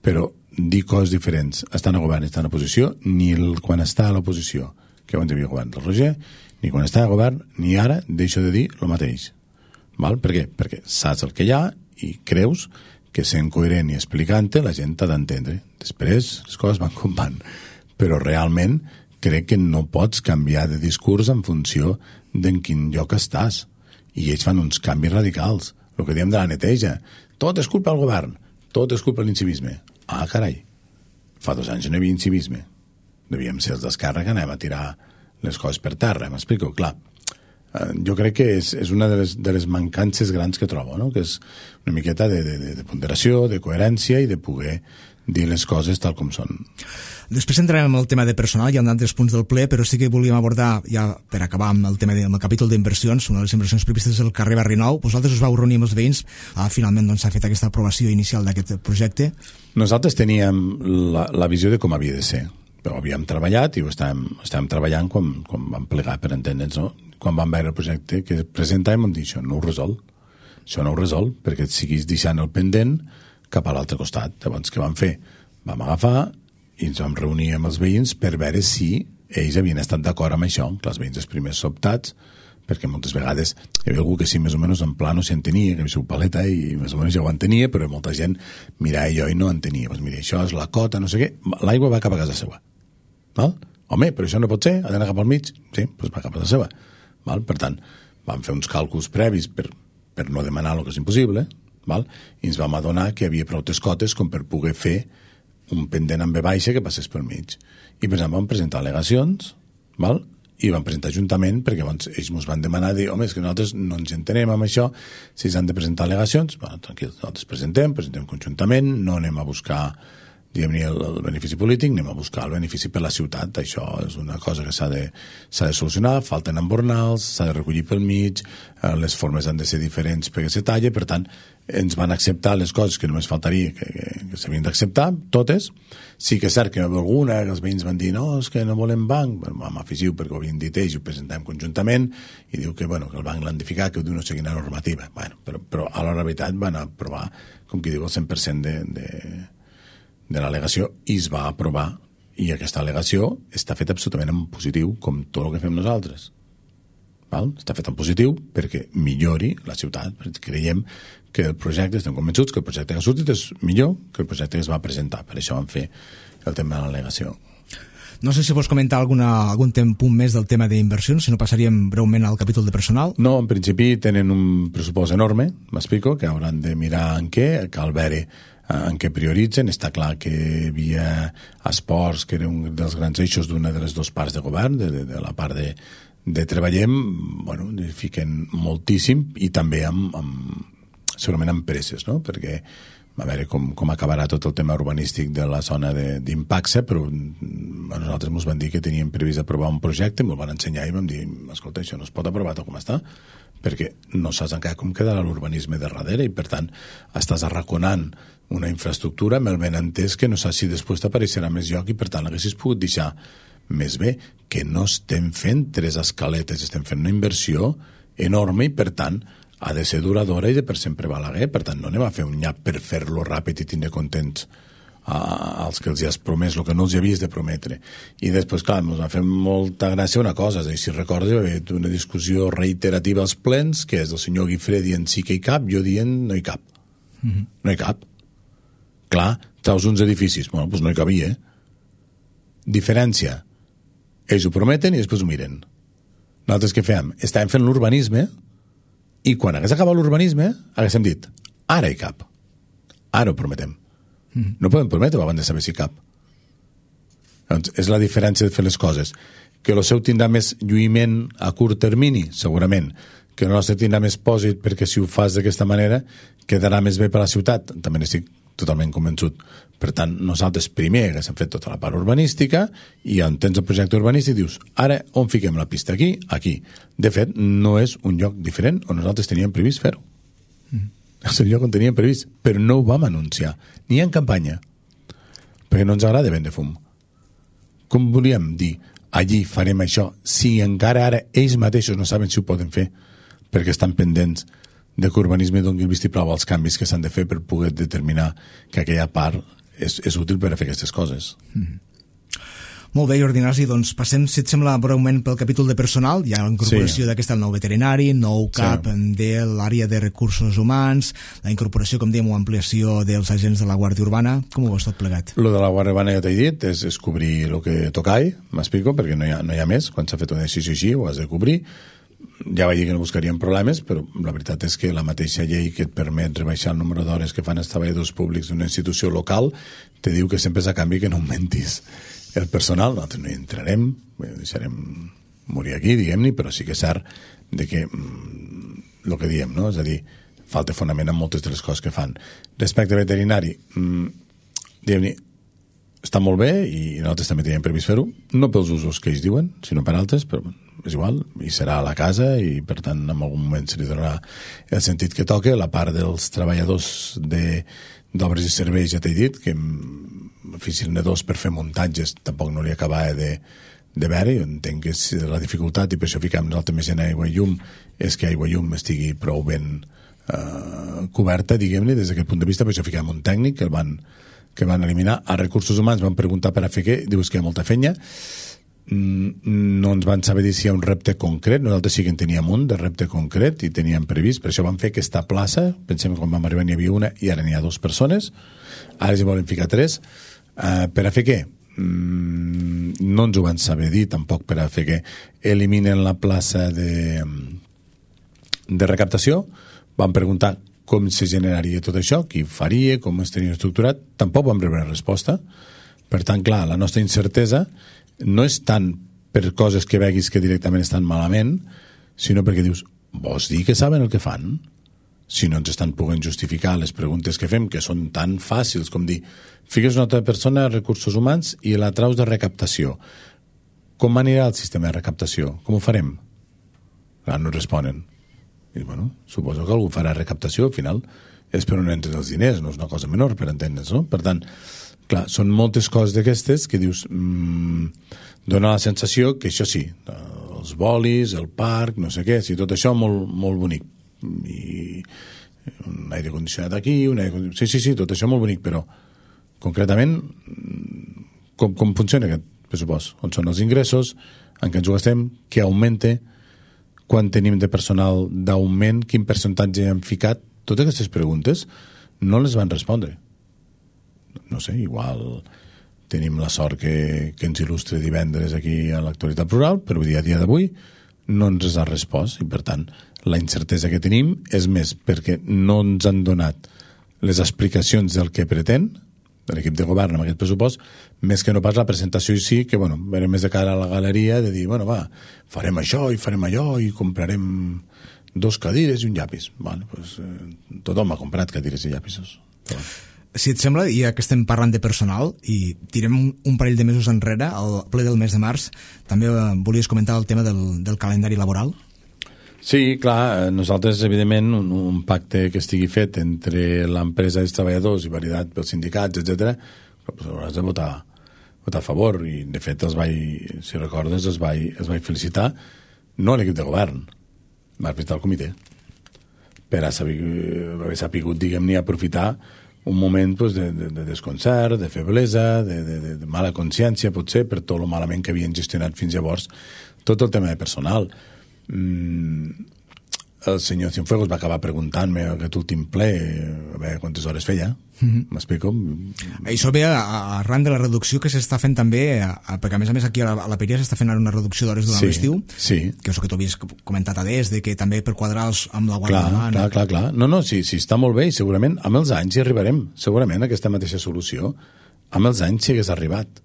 però dir coses diferents, estan a govern i estan a oposició, ni el, quan està a l'oposició, que abans hi havia govern del Roger, ni quan està a govern, ni ara deixo de dir el mateix. Val? Per què? Perquè saps el que hi ha i creus que sent coherent i explicant-te la gent t'ha d'entendre. Després les coses van com van, però realment crec que no pots canviar de discurs en funció d'en quin lloc estàs. I ells fan uns canvis radicals. El que diem de la neteja. Tot és culpa del govern, tot és culpa de l'incivisme. Ah, carai, fa dos anys no hi havia incivisme. Devíem ser els d'Esquerra que anem a tirar les coses per terra, m'explico? Clar, eh, jo crec que és, és una de les, de les mancances grans que trobo, no? Que és una miqueta de, de, de ponderació, de coherència i de poder dir les coses tal com són. Després entrarem en el tema de personal, hi ha altres punts del ple, però sí que volíem abordar, ja per acabar amb el tema de, amb el capítol d'inversions, una de les inversions previstes és el carrer Barri Nou. Vosaltres us vau reunir amb els veïns, ah, finalment doncs, s'ha fet aquesta aprovació inicial d'aquest projecte. Nosaltres teníem la, la visió de com havia de ser, però havíem treballat i ho estàvem, estàvem treballant quan, quan vam plegar, per entendre'ns, no? Quan vam veure el projecte que presentàvem vam dir, això no ho resol, això no ho resol, perquè et siguis deixant el pendent cap a l'altre costat. Llavors, què vam fer? Vam agafar i ens vam reunir amb els veïns per veure si ells havien estat d'acord amb això, que els veïns els primers sobtats, perquè moltes vegades hi havia algú que sí, més o menys en plano s'hi entenia, que havia sigut paleta i més o menys ja ho entenia, però molta gent mirava allò i no entenia. Doncs mira, això és la cota, no sé què, l'aigua va cap a casa seva. Val? Home, però això no pot ser, ha d'anar cap al mig? Sí, doncs va cap a casa seva. Val? Per tant, vam fer uns càlculs previs per, per no demanar el que és impossible, val? I ens vam adonar que hi havia prou cotes com per poder fer un pendent amb B baixa que passés pel mig. I per exemple vam presentar al·legacions, val? I vam presentar juntament perquè abans ells ens van demanar dir, home, és que nosaltres no ens entenem amb això, si s'han de presentar al·legacions, bueno, tranquil, nosaltres presentem, presentem conjuntament, no anem a buscar diguem-ne el, el benefici polític, anem a buscar el benefici per la ciutat. Això és una cosa que s'ha de, s'ha de solucionar, falten embornals, s'ha de recollir pel mig, eh, les formes han de ser diferents perquè se talla, per tant, ens van acceptar les coses que només faltaria que, que, que s'havien d'acceptar, totes. Sí que és cert que hi havia alguna, que els veïns van dir, no, és que no volem banc, bueno, vam afegir-ho perquè ho havien dit ells i ho presentem conjuntament, i diu que, bueno, que el banc l'han de ficar, que ho diu no sé quina normativa. Bueno, però, però a la veritat van aprovar, com qui diu, el cent per cent de... de de l'al·legació i es va aprovar, i aquesta al·legació està feta absolutament en positiu, com tot el que fem nosaltres. Val? Està fet en positiu perquè millori la ciutat, perquè creiem que el projecte, estem convençuts que el projecte que ha sortit és millor que el projecte que es va presentar, per això vam fer el tema de l'al·legació. No sé si vols comentar alguna, algun punt més del tema d'inversions, si no passaríem breument al capítol de personal. No, en principi tenen un pressupost enorme, m'explico, que hauran de mirar en què, cal veure en què prioritzen. Està clar que via esports, que era un dels grans eixos d'una de les dues parts de govern, de, de, de la part de, de treballem, bueno, fiquen moltíssim, i també amb, amb segurament amb empreses, no? Perquè a veure com, com acabarà tot el tema urbanístic de la zona d'impacte, però a nosaltres ens van dir que teníem previst aprovar un projecte, ens van ensenyar i vam dir, escolta, això no es pot aprovar tal com està, perquè no saps encara com quedarà l'urbanisme de darrere i, per tant, estàs arraconant una infraestructura amb el benentès que no saps si després t'apareixerà més lloc i, per tant, l'haguessis pogut deixar més bé, que no estem fent tres escaletes, estem fent una inversió enorme i, per tant, ha de ser duradora i de per sempre Balaguer. Per tant, no anem a fer un nyap per fer-lo ràpid i tindre contents als que els hi has promès el que no els hi havies de prometre. I després, clar, ens va fer molta gràcia una cosa, és a dir, si recordes, hi va haver una discussió reiterativa als plens, que és el senyor Guifré dient sí que hi cap, jo dient no hi cap. Mm-hmm. No hi cap. Clar, treus uns edificis, bueno, doncs no hi cabia. Diferència. Ells ho prometen i després ho miren. Nosaltres què fèiem? Estàvem fent l'urbanisme i quan hagués acabat l'urbanisme haguéssim dit, ara hi cap, ara ho prometem. Mm. No podem prometre abans de saber si cap. Doncs és la diferència de fer les coses. Que el seu tindrà més lluïment a curt termini, segurament. Que el nostre tindrà més pòsit perquè si ho fas d'aquesta manera quedarà més bé per a la ciutat. També n'estic totalment convençut. Per tant, nosaltres primer haguéssim fet tota la part urbanística i on tens el projecte urbanístic dius, ara on fiquem la pista? Aquí? Aquí. De fet, no és un lloc diferent on nosaltres teníem previst fer-ho. Mm. És el lloc on teníem previst, però no ho vam anunciar, ni en campanya, perquè no ens agrada vendre fum. Com volíem dir, allí farem això, si encara ara ells mateixos no saben si ho poden fer, perquè estan pendents de que urbanisme doni el vistiplau als canvis que s'han de fer per poder determinar que aquella part és, és útil per a fer aquestes coses. Mm. Molt bé, Jordi Ignasi, doncs passem, si et sembla, breument pel capítol de personal. Hi ha la incorporació sí. d'aquest nou veterinari, nou cap sí. de l'àrea de recursos humans, la incorporació, com dèiem, o ampliació dels agents de la Guàrdia Urbana. Com ho veus tot plegat? Lo de la Guàrdia Urbana ja t'he dit, és, és cobrir el que tocai, m'explico, perquè no hi ha, no hi ha més. Quan s'ha fet una decisió així, ho has de cobrir. Ja vaig dir que no buscaríem problemes, però la veritat és que la mateixa llei que et permet rebaixar el número d'hores que fan els treballadors públics d'una institució local te diu que sempre és a canvi que no augmentis el personal. Nosaltres no hi entrarem, deixarem morir aquí, diguem-ne, però sí que és cert de que mm, el que diem, no? És a dir, falta fonament en moltes de les coses que fan. Respecte a veterinari, mm, diguem-ne, està molt bé i nosaltres també teníem previst fer-ho, no pels usos que ells diuen, sinó per altres, però és igual, i serà a la casa i per tant en algun moment se li donarà el sentit que toca. La part dels treballadors de, d'obres i serveis ja t'he dit que oficina dos per fer muntatges tampoc no li acabava de, de veure. Jo entenc que és la dificultat i per això fiquem nosaltres més en aigua i llum és que aigua i llum estigui prou ben eh, coberta, diguem-ne, des d'aquest punt de vista. Per això fiquem un tècnic que el van que van eliminar. A recursos humans van preguntar per a fer què, dius que hi ha molta feina, no ens van saber dir si hi ha un repte concret. Nosaltres sí que en teníem un de repte concret i teníem previst, per això vam fer aquesta plaça. Pensem que quan vam arribar n'hi havia una i ara n'hi ha dues persones, ara hi volen ficar tres. Uh, per a fer què? Mm, no ens ho van saber dir tampoc. Per a fer què? Eliminen la plaça de, de recaptació. Van preguntar com se generaria tot això, qui faria, com es tenia estructurat. Tampoc vam rebre resposta. Per tant, clar, la nostra incertesa no és tant per coses que veguis que directament estan malament, sinó perquè dius, vols dir que saben el que fan? Si no ens estan podent justificar les preguntes que fem, que són tan fàcils com dir, fiques una altra persona a recursos humans i la traus de recaptació. Com anirà el sistema de recaptació? Com ho farem? Clar, no responen. I, bueno, suposo que algú farà recaptació, al final és per on entren els diners, no és una cosa menor, per entendre's, no? Per tant, clar, són moltes coses d'aquestes que dius, mmm, dona la sensació que això sí, els bolis, el parc, no sé què, sí, tot això molt, molt bonic. I un aire condicionat aquí, un aire condicionat... Sí, sí, sí, tot això molt bonic, però concretament com, com funciona aquest pressupost? On són els ingressos, en què ens ho gastem, què augmenta, quan tenim de personal d'augment, quin percentatge hem ficat. Totes aquestes preguntes no les van respondre. No sé, igual tenim la sort que, que ens il·lustre divendres aquí a l'actualitat plural, però vull dir, a dia d'avui no ens ha respost, i per tant la incertesa que tenim és més perquè no ens han donat les explicacions del que pretén de l'equip de govern amb aquest pressupost, més que no pas la presentació i sí, que bueno, verem més de cara a la galeria de dir, bueno, va, farem això i farem allò i comprarem dos cadires i un llapis. Vale, pues, eh, tothom ha comprat cadires i llapisos. Però... Si et sembla, ja que estem parlant de personal i tirem un, un parell de mesos enrere, al ple del mes de març, també eh, volies comentar el tema del, del calendari laboral? Sí, clar, nosaltres, evidentment, un, un pacte que estigui fet entre l'empresa i els treballadors i validat pels sindicats, etcètera, doncs hauràs de votar, votar a favor, i de fet els vaig, si recordes, els vaig, els vaig felicitar, no a l'equip de govern, vaig felicitar al comitè, per haver sapigut, diguem-ne, aprofitar un moment pues, de, de, de desconcert, de feblesa, de, de, de mala consciència, potser, per tot el malament que havien gestionat fins llavors, tot el tema de personal. Mm, el senyor Cienfuegos va acabar preguntant-me aquest últim ple a veure quantes hores feia. M'explico? Mm-hmm. Això ve arran de la reducció que s'està fent també, a, a, perquè a més a més aquí a la, a la Peria s'està fent una reducció d'hores durant sí, l'estiu, sí. que és el que tu havies comentat a des, de que també per quadrar els, amb la guàrdia clar, clar, clar, clar. No, no, sí, sí, està molt bé i segurament amb els anys hi arribarem, segurament a aquesta mateixa solució amb els anys sí hagués arribat.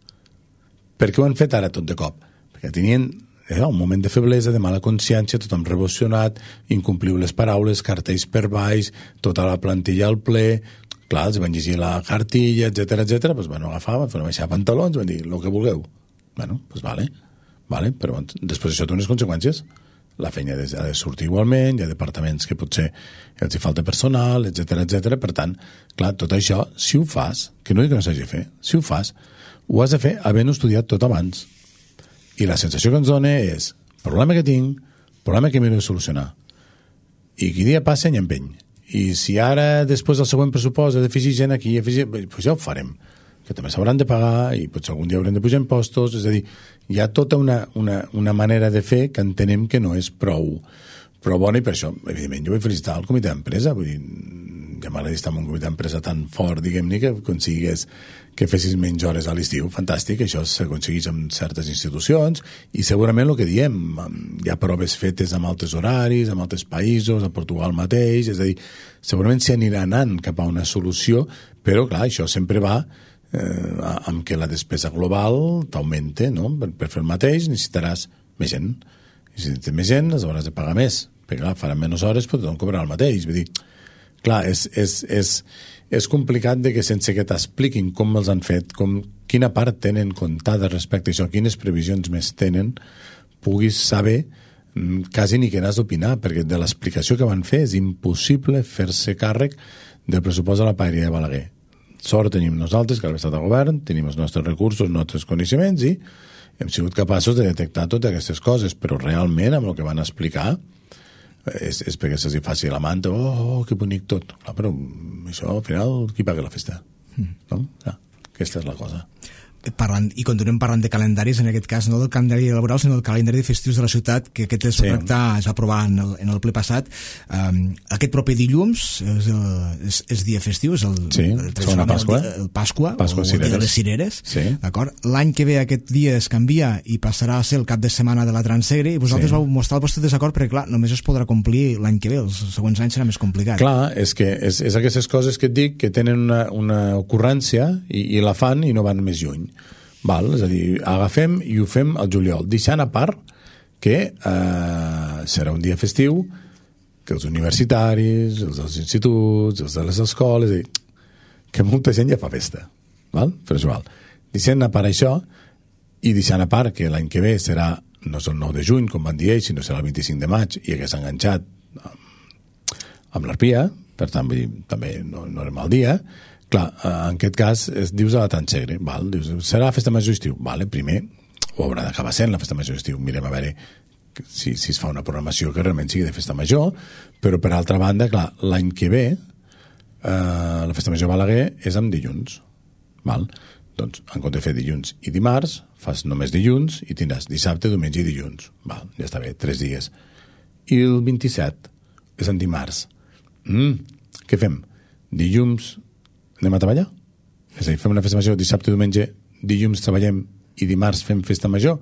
Per què ho han fet ara tot de cop? Perquè tenien eh, un moment de feblesa, de mala consciència, tothom revolucionat, incompliu les paraules, cartells per baix, tota la plantilla al ple, clar, els van llegir la cartilla, etcètera, etcètera, doncs van agafar, van baixar pantalons, van dir, el que vulgueu. Bueno, doncs vale, vale, però després això té unes conseqüències. La feina ha de sortir igualment, hi ha departaments que potser els hi falta personal, etcètera, etcètera. Per tant, clar, tot això, si ho fas, que no dic que no s'hagi de fer, si ho fas, ho has de fer havent estudiat tot abans. I la sensació que ens dona és problema que tinc, problema que m'he de solucionar. I qui dia passa, any empeny. I si ara, després del següent pressupost, he d'afegir gent aquí, afegir, doncs ja ho farem. Que també s'hauran de pagar i potser algun dia haurem de pujar impostos. És a dir, hi ha tota una, una, una manera de fer que entenem que no és prou, prou bona, i per això, evidentment, jo vull felicitar el comitè d'empresa. Vull dir, ja m'agrada estar en un comitè d'empresa tan fort, diguem-ne, que aconseguís que fessis menys hores a l'estiu. Fantàstic, això s'aconsegueix amb certes institucions i segurament el que diem, hi ha proves fetes amb altres horaris, amb altres països, a Portugal mateix, és a dir, segurament s'hi anirà anant cap a una solució, però clar, això sempre va eh, amb que la despesa global t'augmente, no? Per, per fer el mateix necessitaràs més gent. I si tens més gent, les hauràs de pagar més, perquè clar, faran menys hores, però tothom cobrarà el mateix. Vull dir, clar, és, és, és, és complicat de que sense que t'expliquin com els han fet, com, quina part tenen comptada respecte a això, quines previsions més tenen, puguis saber quasi ni que n'has d'opinar, perquè de l'explicació que van fer és impossible fer-se càrrec del pressupost de la Paeria de Balaguer. Sort tenim nosaltres, que a l'estat de govern, tenim els nostres recursos, els nostres coneixements, i hem sigut capaços de detectar totes aquestes coses, però realment amb el que van explicar és, és perquè se'ls faci la manta, oh, oh, que bonic tot. Clar, però això, al final, qui paga la festa? Mm. No? Clar, aquesta és la cosa. Parlant, i continuem parlant de calendaris, en aquest cas no del calendari laboral sinó del calendari de festius de la ciutat, que aquest es, sí. tractar, es va aprovar en el, en el ple passat. Um, aquest proper dilluns és, el, és, és dia festiu, és el, sí, el, el, Pasqua. el, el Pasqua, Pasqua o el dia de les cireres, sí. D'acord? L'any que ve aquest dia es canvia i passarà a ser el cap de setmana de la Transegre, i vosaltres sí. vau mostrar el vostre desacord perquè clar, només es podrà complir l'any que ve, els següents anys serà més complicat. Clar, és que és, és aquestes coses que et dic que tenen una, una ocurrència i, i la fan i no van més lluny. Val? És a dir, agafem i ho fem al juliol, deixant a part que eh, serà un dia festiu, que els universitaris, els dels instituts, els de les escoles, és a dir, que molta gent ja fa festa. Val? Però és igual. Deixant a part això, i deixant a part que l'any que ve serà, no és el nou de juny, com van dir ells, sinó serà el vint-i-cinc de maig, i hagués enganxat amb, amb l'Arpia, per tant, vull dir, també no, no era mal dia. Clar, en aquest cas es dius a la Transegre, val? Dius, serà la festa major estiu, vale, primer ho haurà d'acabar sent la festa major estiu, mirem a veure si, si es fa una programació que realment sigui de festa major, però per altra banda, clar, l'any que ve eh, la festa major Balaguer és amb dilluns, val? Doncs en compte de fer dilluns i dimarts fas només dilluns i tindràs dissabte, diumenge i dilluns, val? Ja està bé, tres dies, i el vint-i-set és en dimarts. Mm, què fem? Dilluns anem a treballar? És a dir, fem una festa major dissabte, diumenge, dilluns treballem i dimarts fem festa major,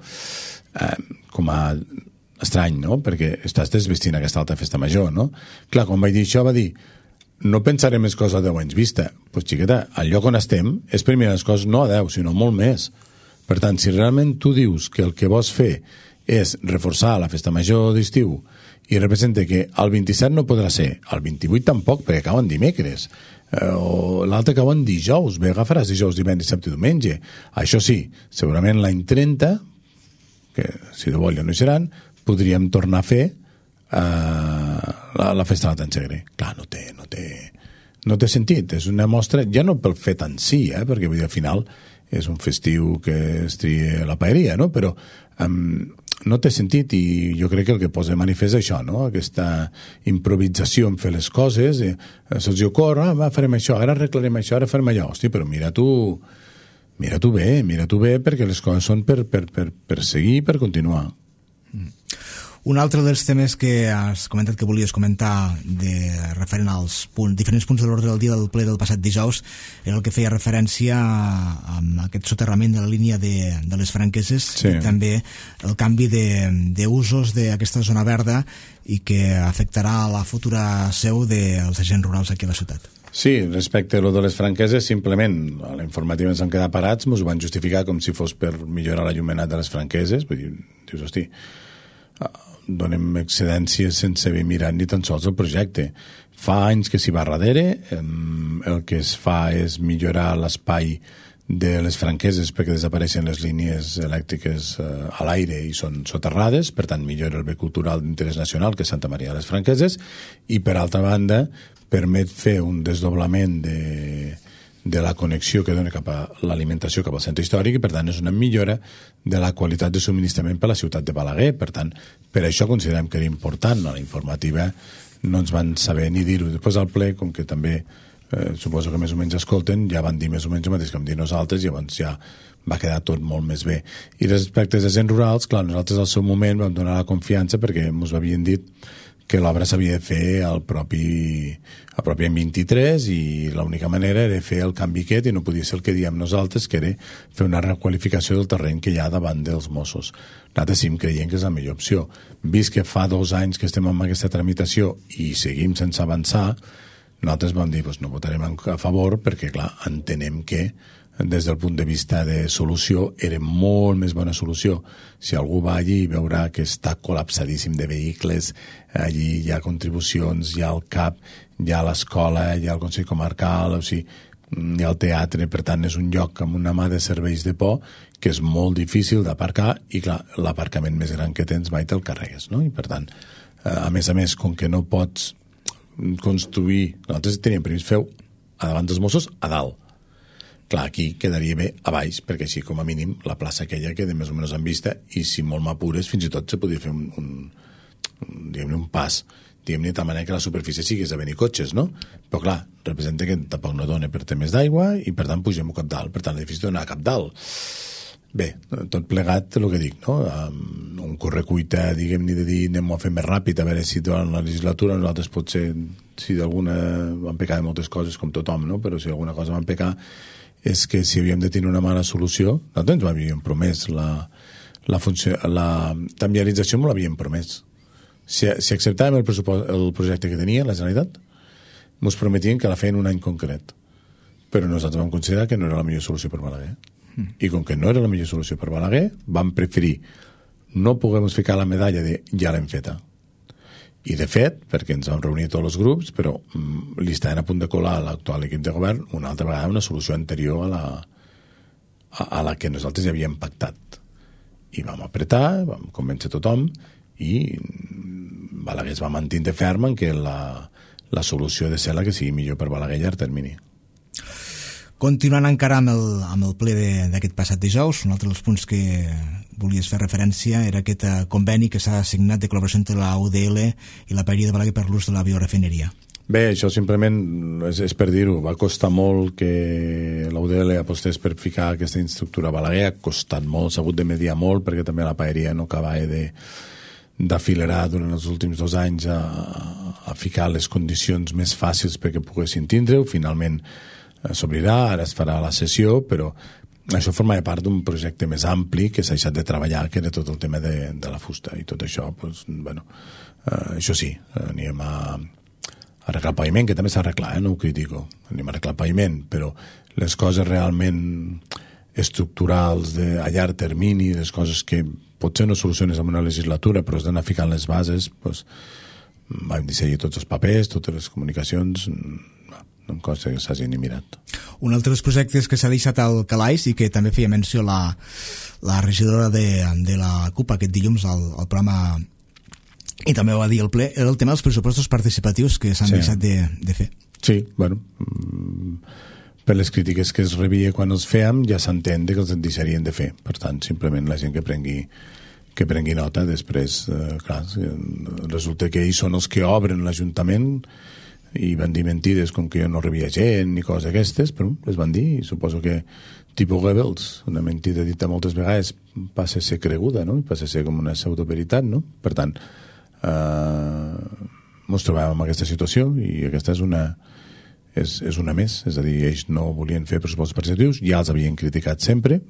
eh, com a estrany, no? Perquè estàs desvestint aquesta altra festa major, no? Clar, quan vaig dir això va dir no pensaré més coses a deu anys vista. Doncs pues, xiqueta, al lloc on estem és per mirar les coses no a deu, sinó molt més. Per tant, si realment tu dius que el que vols fer és reforçar la festa major d'estiu i representa que el vint-i-set no podrà ser, el vint-i-vuit tampoc, perquè acaben dimecres, eh, o l'altre acaben dijous, bé, agafaràs dijous, divendres, dissabte i diumenge. Això sí, segurament l'any trenta, que si de vol ja no hi seran, podríem tornar a fer uh, la, la festa de la Tantsegre. Clar, no té, no té, no té sentit. És una mostra, ja no pel fet en si, eh, perquè vull dir, al final és un festiu que es tria la paeria, no? Però um, no té sentit i jo crec que el que posa de manifest és això, no? Aquesta improvisació en fer les coses, eh, se'ls ocorre, ah, va, farem això, ara arreglarem això, ara farem allò. Hosti, però mira tu, mira tu bé, mira tu bé, perquè les coses són per, per, per, per seguir, per continuar. Mm. Un altre dels temes que has comentat que volies comentar de referent als punts, diferents punts de l'ordre del dia del ple del passat dijous era el que feia referència a, a aquest soterrament de la línia de, de les Franqueses, sí. I també el canvi d'usos d'aquesta zona verda i que afectarà la futura seu dels agents rurals aquí a la ciutat. Sí, respecte a lo de les Franqueses, simplement a la informativa ens han quedat parats, ens ho van justificar com si fos per millorar l'allumenat de les Franqueses, vull dir, dius, hosti, donem excedències sense haver mirat ni tan sols el projecte. Fa anys que s'hi va darrere, el que es fa és millorar l'espai de les Franqueses perquè desapareixen les línies elèctriques a l'aire i són soterrades, per tant millora el bé cultural d'interès nacional que és Santa Maria de les Franqueses, i per altra banda permet fer un desdoblament de de la connexió que dona cap a l'alimentació cap al centre històric i per tant és una millora de la qualitat de subministrament per a la ciutat de Balaguer. Per tant, per això considerem que era important. A la informativa no ens van saber ni dir-ho. Després al ple, com que també eh, suposo que més o menys escolten, ja van dir més o menys el mateix que vam dir nosaltres i llavors ja va quedar tot molt més bé. I respecte als agents rurals, clar, nosaltres al seu moment vam donar la confiança perquè ens havien dit que l'obra s'havia de fer al propi, al propi any vint-i-tres i l'única manera era fer el canvi aquest i no podia ser el que diem nosaltres, que era fer una requalificació del terreny que hi ha davant dels Mossos. Nosaltres sí creiem que és la millor opció. Vist que fa dos anys que estem amb aquesta tramitació i seguim sense avançar, nosaltres vam dir, doncs no votarem a favor perquè, clar, entenem que des del punt de vista de solució era molt més bona solució. Si algú va allí i veurà que està col·lapsadíssim de vehicles, allí hi ha contribucions, hi ha el C A P, hi ha l'escola, hi ha el Consell Comarcal, o sigui, hi ha el teatre, per tant és un lloc amb una mà de serveis de por que és molt difícil d'aparcar i clar, l'aparcament més gran que tens mai te'l carregues, no? I per tant, a més a més, com que no pots construir, nosaltres teníem previst fer a davant dels Mossos a dalt. Clar, aquí quedaria bé a baix, perquè així com a mínim la plaça aquella queda més o menys en vista i si molt m'apures fins i tot se podria fer un, un, un, diguem-ne, un pas, diguem-ne, de tal manera que la superfície sigués a venir cotxes, no? Però clar, representa que tampoc no dona per temes d'aigua i per tant pugem cap dalt, per tant l'edifici dona cap dalt. Bé, tot plegat el que dic, no? Um, un correcuita, diguem-ne, de dir anem-ho a fer més ràpid, a veure si durant la legislatura nosaltres potser, si d'alguna van pecar de moltes coses com tothom, no? Però si alguna cosa van pecar és que si havíem de tenir una mala solució, nosaltres ens havíem promès la, la, funció, la tambialització me l'havíem promès. Si, si acceptàvem el, el projecte que tenia la Generalitat, ens prometien que la feien un any concret. Però nosaltres vam considerar que no era la millor solució per Balaguer. Mm. I com que no era la millor solució per Balaguer, vam preferir no poder ficar la medalla de ja l'hem feta. I de fet, perquè ens vam reunir tots els grups, però mm, li estaven a punt de colar a l'actual equip de govern una altra vegada una solució anterior a la, a, a la que nosaltres ja havíem pactat. I vam apretar, vam convèncer tothom i Balaguer es va mantenir ferm en que la, la solució de ser la que sigui millor per Balaguer a llarg termini. Continuant encara amb el, amb el ple d'aquest passat dijous, un altre dels punts que volies fer referència era aquest conveni que s'ha signat de col·laboració entre la U D L i la paeria de Balaguer per l'ús de la biorefineria. Bé, això simplement és, és per dir-ho. Va costar molt que la U D L apostés per ficar aquesta infraestructura a Balaguer. Ha costat molt, s'ha hagut de mediar molt perquè també la paeria no acabava de d'afilerar durant els últims dos anys a, a ficar les condicions més fàcils perquè poguessin tindre-ho. Finalment s'obrirà, ara es farà la sessió, però això formava part d'un projecte més ampli que s'ha deixat de treballar, que era tot el tema de, de la fusta, i tot això, pues, bueno, eh, això sí, anem a, a arreglar el paviment, que també s'ha arreglat, eh, no ho critico, anem a arreglar el paviment, però les coses realment estructurals de, a llarg termini, les coses que potser no soluciones en una legislatura, però has d'anar ficant les bases, pues, vam dissenyar tots els papers, totes les comunicacions, no, no em consta que s'hagi ni mirat. Un altre dels projectes que s'ha deixat al calaix i que també feia menció la, la regidora de, de la CUP aquest dilluns al, al programa, i també ho va dir el ple, era el tema dels pressupostos participatius que s'han sí. deixat de, de fer. Sí, bueno, per les crítiques que es rebia quan els fèiem ja s'entén que els deixarien de fer. Per tant, simplement la gent que prengui que prengui nota, després, eh, clar, resulta que ells són els que obren l'Ajuntament i van dir mentides com que jo no rebia gent ni coses aquestes, però les van dir, i suposo que tipus Goebbels, una mentida dita moltes vegades passa a ser creguda, no? Passa a ser com una pseudoveritat, no? Per tant, eh, ens trobàvem en aquesta situació i aquesta és una és, és una més, és a dir, ells no volien fer pressupostos participatius, ja els havien criticat sempre,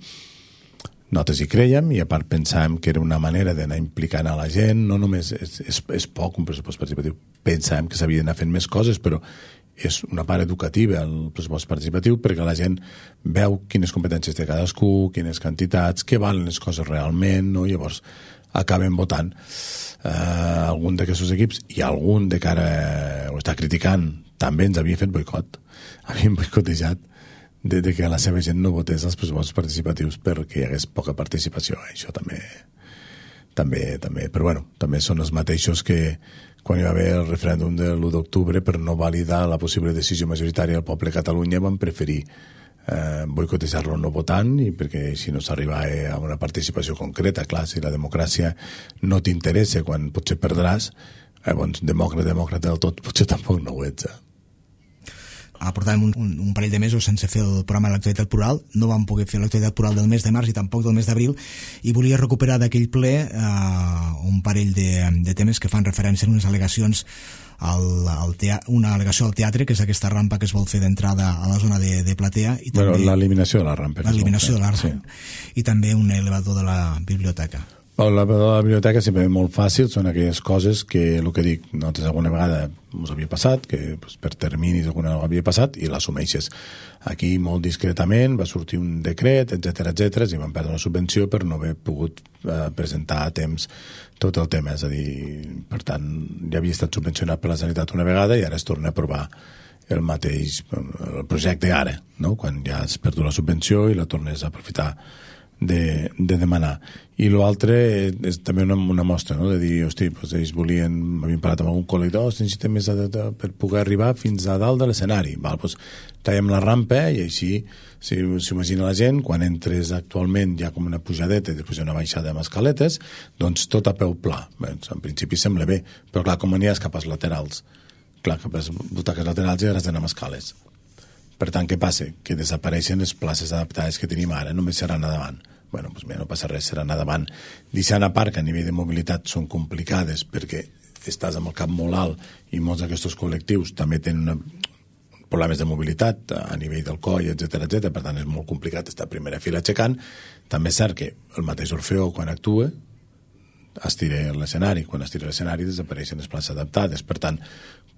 nosaltres hi creiem, i a part pensàvem que era una manera d'anar implicant a la gent, no només és, és, és poc un pressupost participatiu, pensàvem que s'havia d'anar fent més coses, però és una part educativa el pressupost participatiu perquè la gent veu quines competències té cadascú, quines quantitats, què valen les coses realment, no? Llavors acaben votant eh, algun d'aquests equips, i algun de cara ho està criticant, també ens havia fet boicot, havien boicotejat de, de que la seva gent no votés els pressupostos participatius perquè hi hagués poca participació. Això també, també, també, però bueno, també són els mateixos que quan hi va haver el referèndum de l'u d'octubre per no validar la possible decisió majoritària del poble de Catalunya van preferir eh, boicotejar-lo no votant, i perquè si no s'arribava a una participació concreta, clar, si la democràcia no t'interessa quan potser perdràs, eh, doncs demòcrata, demòcrata del tot, potser tampoc no ho ets, eh? Portàvem un, un, un parell de mesos sense fer el programa de l'actualitat plural, no vam poder fer l'actualitat plural del mes de març i tampoc del mes d'abril, i volia recuperar d'aquell ple eh, un parell de, de temes que fan referència a unes al·legacions al, al tea, una al·legació al teatre, que és aquesta rampa que es vol fer d'entrada a la zona de, de platea, i també bueno, l'eliminació de la rampa, l'eliminació de la rampa, sí. I també un elevador de la biblioteca. La, la biblioteca sempre és molt fàcil, són aquelles coses que, el que dic, nosaltres alguna vegada ens havia passat, que pues, per terminis alguna vegada havia passat, i l'assumeixes. Aquí, molt discretament, va sortir un decret, etcètera, etcètera, i van perdre una subvenció per no haver pogut eh, presentar a temps tot el tema. És a dir, per tant, ja havia estat subvencionat per la Generalitat una vegada i ara es torna a aprovar el mateix el projecte ara, no? Quan ja has perdut la subvenció i la tornes a aprofitar de, de demanar. I l'altre és també una, una mostra, no? De dir, hosti, doncs ells volien, havien parlat amb algun col·lectiu, oh, necessitem més de, de, per poder arribar fins a dalt de l'escenari. Val, doncs traiem la rampa i així, si s'imagina la gent, quan entres actualment hi ha com una pujadeta i després hi ha una baixada amb escaletes, doncs tot a peu pla. Bé, en principi sembla bé, però clar, com aniràs cap als laterals? Clar, cap a les butaques laterals i has d'anar amb escales. Per tant, què passa? Que desapareixen les places adaptades que tenim ara, només seran a davant. Bueno, doncs mira, no passa res, seran a davant. Deixant a part que a nivell de mobilitat són complicades perquè estàs amb el cap molt alt i molts d'aquests col·lectius també tenen una, problemes de mobilitat a nivell del coll, etcètera, etcètera. Per tant, és molt complicat estar a primera fila aixecant. També és cert que el mateix Orfeó, quan actua, estira l'escenari. Quan estira l'escenari desapareixen les places adaptades. Per tant,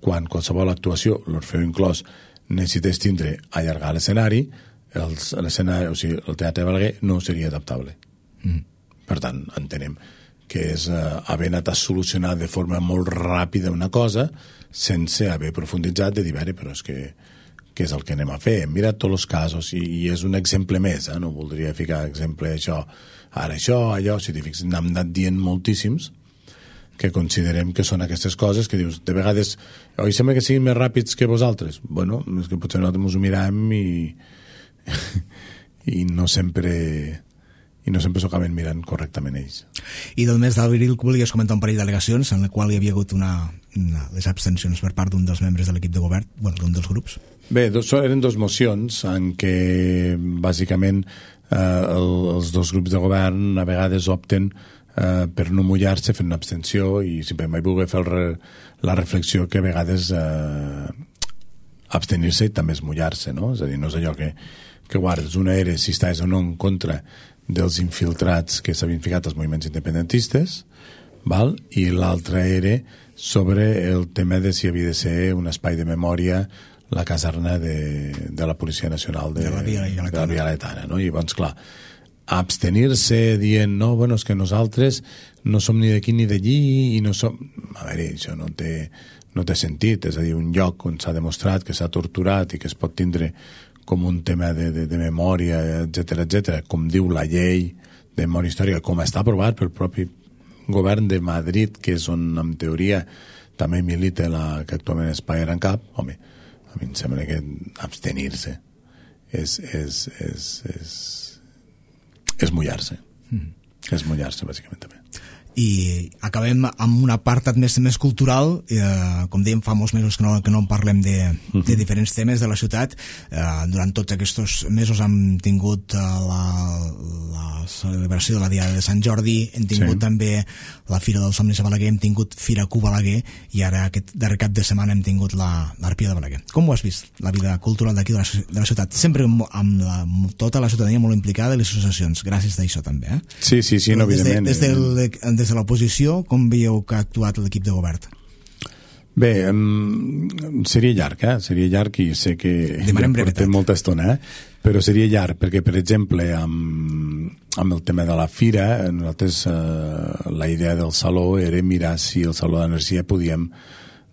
quan qualsevol actuació, l'Orfeó inclòs, necessités tindre allargar l'escenari, l'escenari, o sigui, el Teatre Balaguer no seria adaptable. Mm. Per tant, entenem que és eh, haver anat a solucionar de forma molt ràpida una cosa sense haver profunditzat de dir, però és que què és el que anem a fer? Hem mirat tots els casos i, i és un exemple més, eh? No voldria ficar exemple això, ara això, allò, si t'hi fixes, n'hem anat dient moltíssims que considerem que són aquestes coses que dius, de vegades, oi, sembla que siguin més ràpids que vosaltres. Bueno, és que potser nosaltres ens ho mirem i i no sempre i no sempre s'ho acaben mirant correctament ells. I del mes d'abril volies comentar un parell d'al·legacions en la qual hi havia hagut una, una les abstencions per part d'un dels membres de l'equip de govern, bueno, d'un dels grups. Bé, dos, eren dos mocions en què bàsicament eh, el, els dos grups de govern a vegades opten eh, per no mullar-se fent una abstenció i simplement vaig voler fer re, la reflexió que a vegades eh, abstenir-se i també és mullar-se, no? És a dir, no és allò que, que guardes una era si estàs o no en contra dels infiltrats que s'havien ficat als moviments independentistes, val? I l'altra era sobre el tema de si havia de ser un espai de memòria la caserna de, de la Policia Nacional de, de la Via Laietana, de la Via Laietana, no? I llavors, clar, abstenir-se dient, no, bueno, és que nosaltres no som ni d'aquí ni d'allí i no som... A veure, això no té, no té sentit, és a dir, un lloc on s'ha demostrat que s'ha torturat i que es pot tindre com un tema de, de, de memòria, etcètera, etcètera, com diu la llei de memòria històrica, com està aprovat pel propi govern de Madrid, que és on, en teoria, també milita la que actualment és Paller en Cap. Home, a mi em sembla que abstenir-se és, és, és, és, és mullar-se. Mm. És mullar-se, bàsicament, també. I acabem amb un apartat més, més cultural, eh, com dèiem fa molts mesos que no, que no en parlem de, de diferents temes de la ciutat. Eh, durant tots aquests mesos hem tingut eh, la, la celebració de la Diada de Sant Jordi, hem tingut sí. també la Fira dels Somnis a Balaguer, hem tingut Fira Q Balaguer i ara aquest darrer cap de setmana hem tingut l'Arpia de Balaguer. Com ho has vist, la vida cultural d'aquí de, la, de la ciutat? Sempre amb la, tota la ciutadania molt implicada i les associacions, gràcies d'això també. Eh? Sí, sí, sí, no, evidentment. Des, de, des, del, des de l'oposició, com veieu que ha actuat l'equip de govern? Bé, um, seria llarg, eh? Seria llarg i sé que Demanem ja portem molta estona, eh? Però seria llarg, perquè, per exemple, amb, amb el tema de la fira, nosaltres eh, la idea del saló era mirar si el Saló d'Energia podíem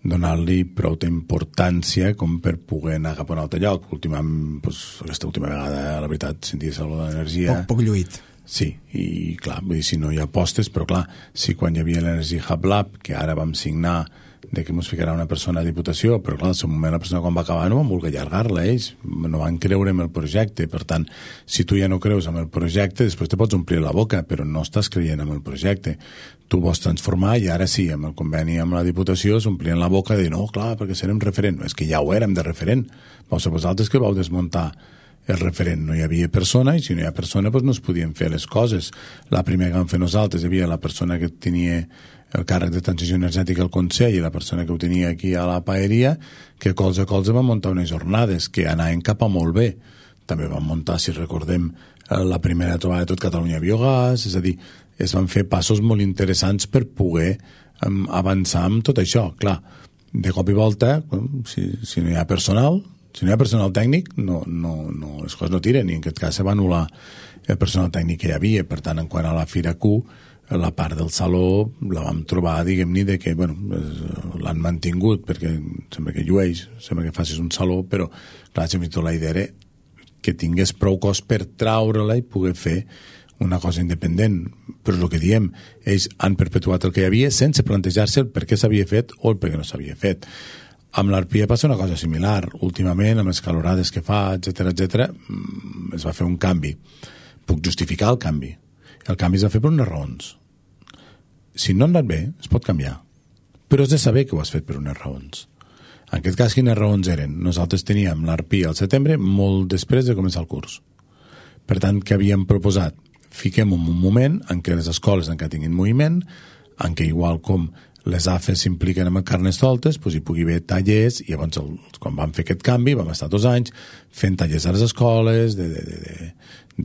donar-li prou d'importància com per poder anar cap a un altre lloc. Últimament, doncs, aquesta última vegada, la veritat, sentia Saló d'Energia... Poc, poc lluït. Sí, i clar, vull dir, si no hi ha apostes, però clar, si quan hi havia l'Energy Hub Lab, que ara vam signar de que ens ficarà una persona a Diputació, però clar, al seu moment la persona quan va acabar no van voler allargar-la, ells no van creure en el projecte, per tant, si tu ja no creus en el projecte, després te pots omplir la boca, però no estàs creient en el projecte. Tu vols transformar i ara sí, amb el conveni amb la Diputació s'omplien la boca de dir, no, clar, perquè serem referent. No, és que ja ho érem de referent. Vau ser vosaltres que vau desmuntar el referent, no hi havia persona i si no hi ha persona doncs no es podien fer les coses. La primera que vam fer nosaltres hi havia la persona que tenia el càrrec de transició energètica al Consell i la persona que ho tenia aquí a la paeria, que colze a colze van muntar unes jornades que anaven cap a molt bé. També van muntar, si recordem, la primera trobada de tot Catalunya Biogàs, és a dir, es van fer passos molt interessants per poder um, avançar amb tot això. Clar, de cop i volta, si, si no hi ha personal, si no hi ha personal tècnic, no, no, no, les coses no tiren, i en aquest cas se va anul·lar el personal tècnic que hi havia. Per tant, en quant a la Fira Q, la part del saló la vam trobar, diguem-ne, de que, bueno, l'han mantingut, perquè sembla que llueix, sembla que facis un saló, però, clar, sempre tot la idea era que tingués prou cos per traure-la i poder fer una cosa independent. Però el que diem, ells han perpetuat el que hi havia sense plantejar-se el per què s'havia fet o el per què no s'havia fet. Amb l'Arpia passa una cosa similar. Últimament, amb les calorades que fa, etcètera, etcètera, es va fer un canvi. Puc justificar el canvi. El canvi es va fer per unes raons. Si no ha anat bé, es pot canviar. Però has de saber que ho has fet per unes raons. En aquest cas, quines raons eren? Nosaltres teníem l'Arpia al setembre, molt després de començar el curs. Per tant, què havíem proposat? Fiquem un moment en què les escoles encara tinguin moviment, en què igual com les A F E s'impliquen amb el Carnestoltes, doncs hi pugui haver tallers, i llavors el, quan vam fer aquest canvi vam estar dos anys fent tallers a les escoles, de, de, de, de,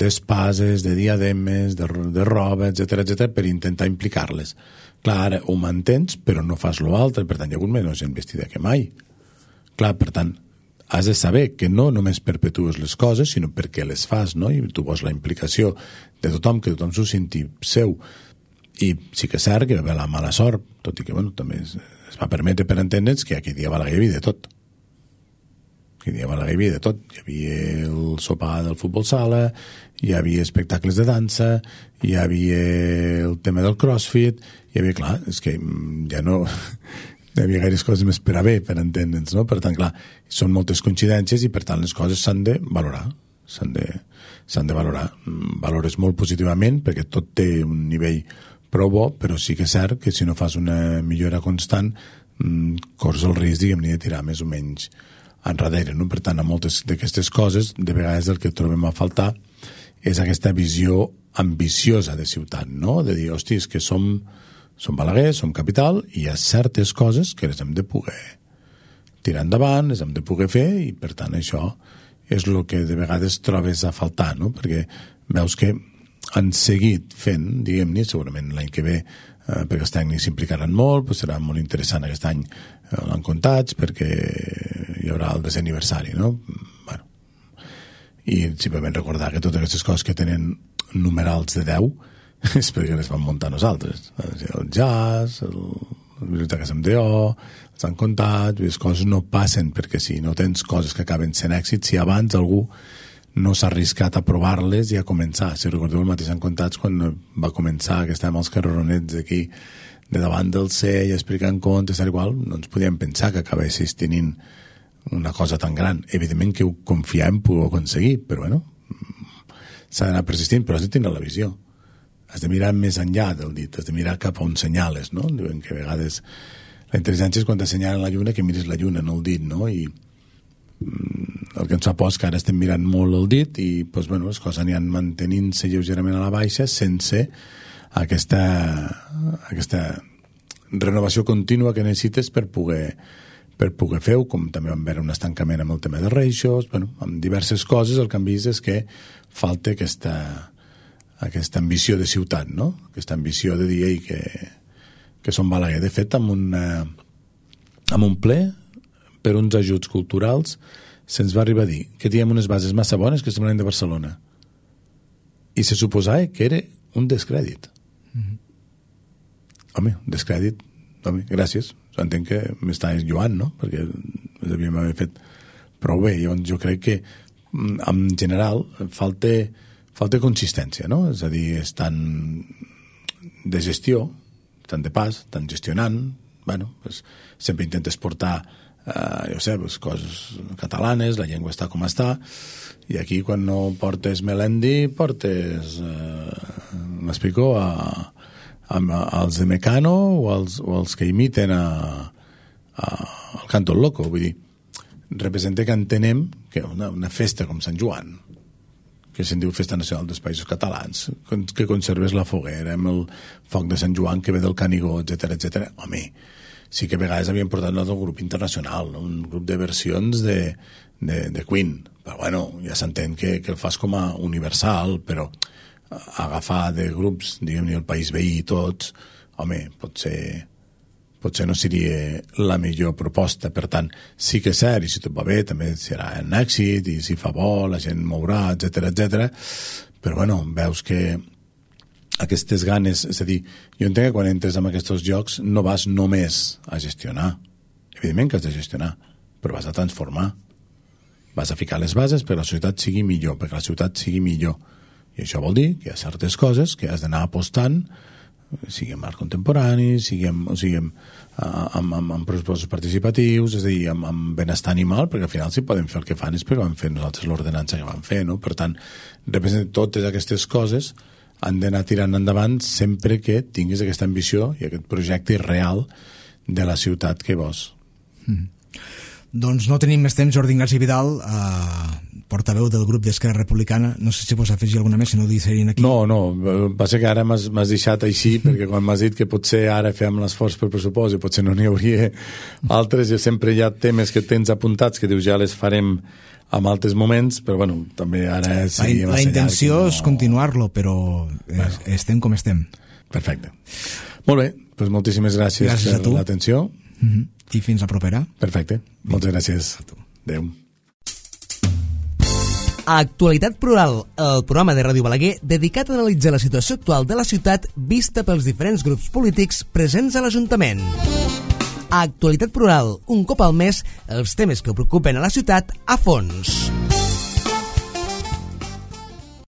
d'espases, de diademes, de, de roba, etcètera, etcètera, per intentar implicar-les. Clar, ara ho mantens, però no fas l'altre, per tant hi ha hagut menys gent vestida que mai. Clar, per tant, has de saber que no només perpetues les coses, sinó perquè les fas, no? I tu vols la implicació de tothom, que tothom s'ho senti seu. I sí que és cert que va haver la mala sort, tot i que, bueno, també es, es va permetre per entendre'ns que aquell dia a Balaguer hi havia de tot. Aquell dia a Balaguer hi havia de tot. Hi havia el sopar del futbol sala, hi havia espectacles de dansa, hi havia el tema del crossfit, hi havia, clar, és que ja no... hi havia gaires coses més per a bé, per entendre'ns, no? Per tant, clar, són moltes coincidències i, per tant, les coses s'han de valorar. S'han de, s'han de valorar. Valores molt positivament, perquè tot té un nivell prou bo, però sí que és cert que si no fas una millora constant corres el risc, diguem-ne, de tirar més o menys enrere, no? Per tant, a moltes d'aquestes coses, de vegades el que trobem a faltar és aquesta visió ambiciosa de ciutat, no? De dir, hosti, és que som, som Balaguer, som capital, i hi ha certes coses que les hem de poder tirar endavant, les hem de poder fer, i per tant això és el que de vegades trobes a faltar, no? Perquè veus que han seguit fent, diguem-ne, segurament l'any que ve, eh, perquè els tècnics s'implicaran molt, pues serà molt interessant aquest any eh, l'han comptats, perquè hi haurà el desè aniversari, no? Bueno, i simplement recordar que totes aquestes coses que tenen numerals de deu és perquè les vam muntar nosaltres. El jazz, el, la biblioteca S M D O, els han comptat, les coses no passen perquè si no tens coses que acaben sent èxits, si abans algú no s'ha arriscat a provar-les i a començar. Si recordeu, el mateix han comptats quan va començar, que estàvem als carreronets aquí de davant del C i explicant contes, tal igual, no ens podíem pensar que acabessis tenint una cosa tan gran. Evidentment que ho confiem poder aconseguir, però bueno, s'ha d'anar persistint, però has de tenir la visió. Has de mirar més enllà del dit, has de mirar cap on senyales, no? Diuen que a vegades la intel·ligència és quan t'assenyalen la lluna que miris la lluna, no el dit, no? I el que ens fa por és que ara estem mirant molt el dit i doncs, bueno, les coses aniran mantenint-se lleugerament a la baixa sense aquesta, aquesta renovació contínua que necessites per poder, per poder fer-ho, com també vam veure un estancament amb el tema de reixos, bueno, amb diverses coses. El que hem vist és que falta aquesta, aquesta ambició de ciutat, no? Aquesta ambició de dir Ei, que, que som Balaguer. De fet, amb, una, amb un ple per uns ajuts culturals se'ns va arribar a dir que teníem unes bases massa bones que semblaven de Barcelona i se suposava que era un descrèdit. Mm-hmm. Home, un descrèdit, home, gràcies, entenc que m'estàs lloant, no? Perquè devíem haver fet prou bé. Llavors jo crec que en general falta, falta consistència, no? És a dir, estan de gestió, estan de pas, estan gestionant, bueno, pues, sempre intentes portar Uh, jo sé, pues, coses catalanes, la llengua està com està, i aquí quan no portes Melendi portes uh, m'explico a, a, a, als de Mecano o als, o als que imiten a, a, al Canto Loco. Vull dir, representa que entenem que una, una festa com Sant Joan, que se'n diu Festa Nacional dels Països Catalans, que conserves la foguera amb el foc de Sant Joan que ve del Canigó, etcètera, etcètera. Home, sí que a vegades havien portat un altre grup internacional, no? Un grup de versions de, de, de Queen, però bueno, ja s'entén que, que el fas com a universal, però agafar de grups, diguem-ne, el país veí i tots, home, potser, potser no seria la millor proposta. Per tant, sí que és cert, i si tot va bé, també serà un èxit, i si fa bo, la gent mourà, etcètera, etcètera, però bueno, veus que aquestes ganes, és a dir, jo entenc que quan entres en aquests jocs no vas només a gestionar, evidentment que has de gestionar, però vas a transformar, vas a ficar les bases perquè la societat sigui millor, perquè la ciutat sigui millor, i això vol dir que hi ha certes coses que has d'anar apostant, sigui en art contemporani, sigui en, o sigui, en, amb, amb, amb pressupostos participatius, és a dir, amb, amb benestar animal, perquè al final si podem fer el que fan és perquè vam fer nosaltres l'ordenança que vam fer, no? Per tant, representa totes aquestes coses han d'anar tirant endavant sempre que tinguis aquesta ambició i aquest projecte real de la ciutat que vols. Mm. Doncs no tenim més temps. Jordi Ignasi Vidal, eh, portaveu del grup d'Esquerra Republicana, no sé si vols afegir alguna més, si no ho deixarien aquí. No, no, passa que ara m'has deixat així, perquè quan m'has dit que potser ara fem l'esforç per pressupost i potser no n'hi hauria altres, jo sempre hi ha temes que tens apuntats que dius ja les farem en altres moments, però bueno, també ara seria la, la intenció no... és continuar-lo, però bueno, estem com estem. Perfecte. Molt bé, doncs moltíssimes gràcies, gràcies per l'atenció. Mm-hmm. I fins la propera. Perfecte, moltes gràcies. Adéu. Actualitat Plural, el programa de Ràdio Balaguer dedicat a analitzar la situació actual de la ciutat vista pels diferents grups polítics presents a l'Ajuntament. Actualitat Plural, un cop al mes, els temes que preocupen a la ciutat a fons.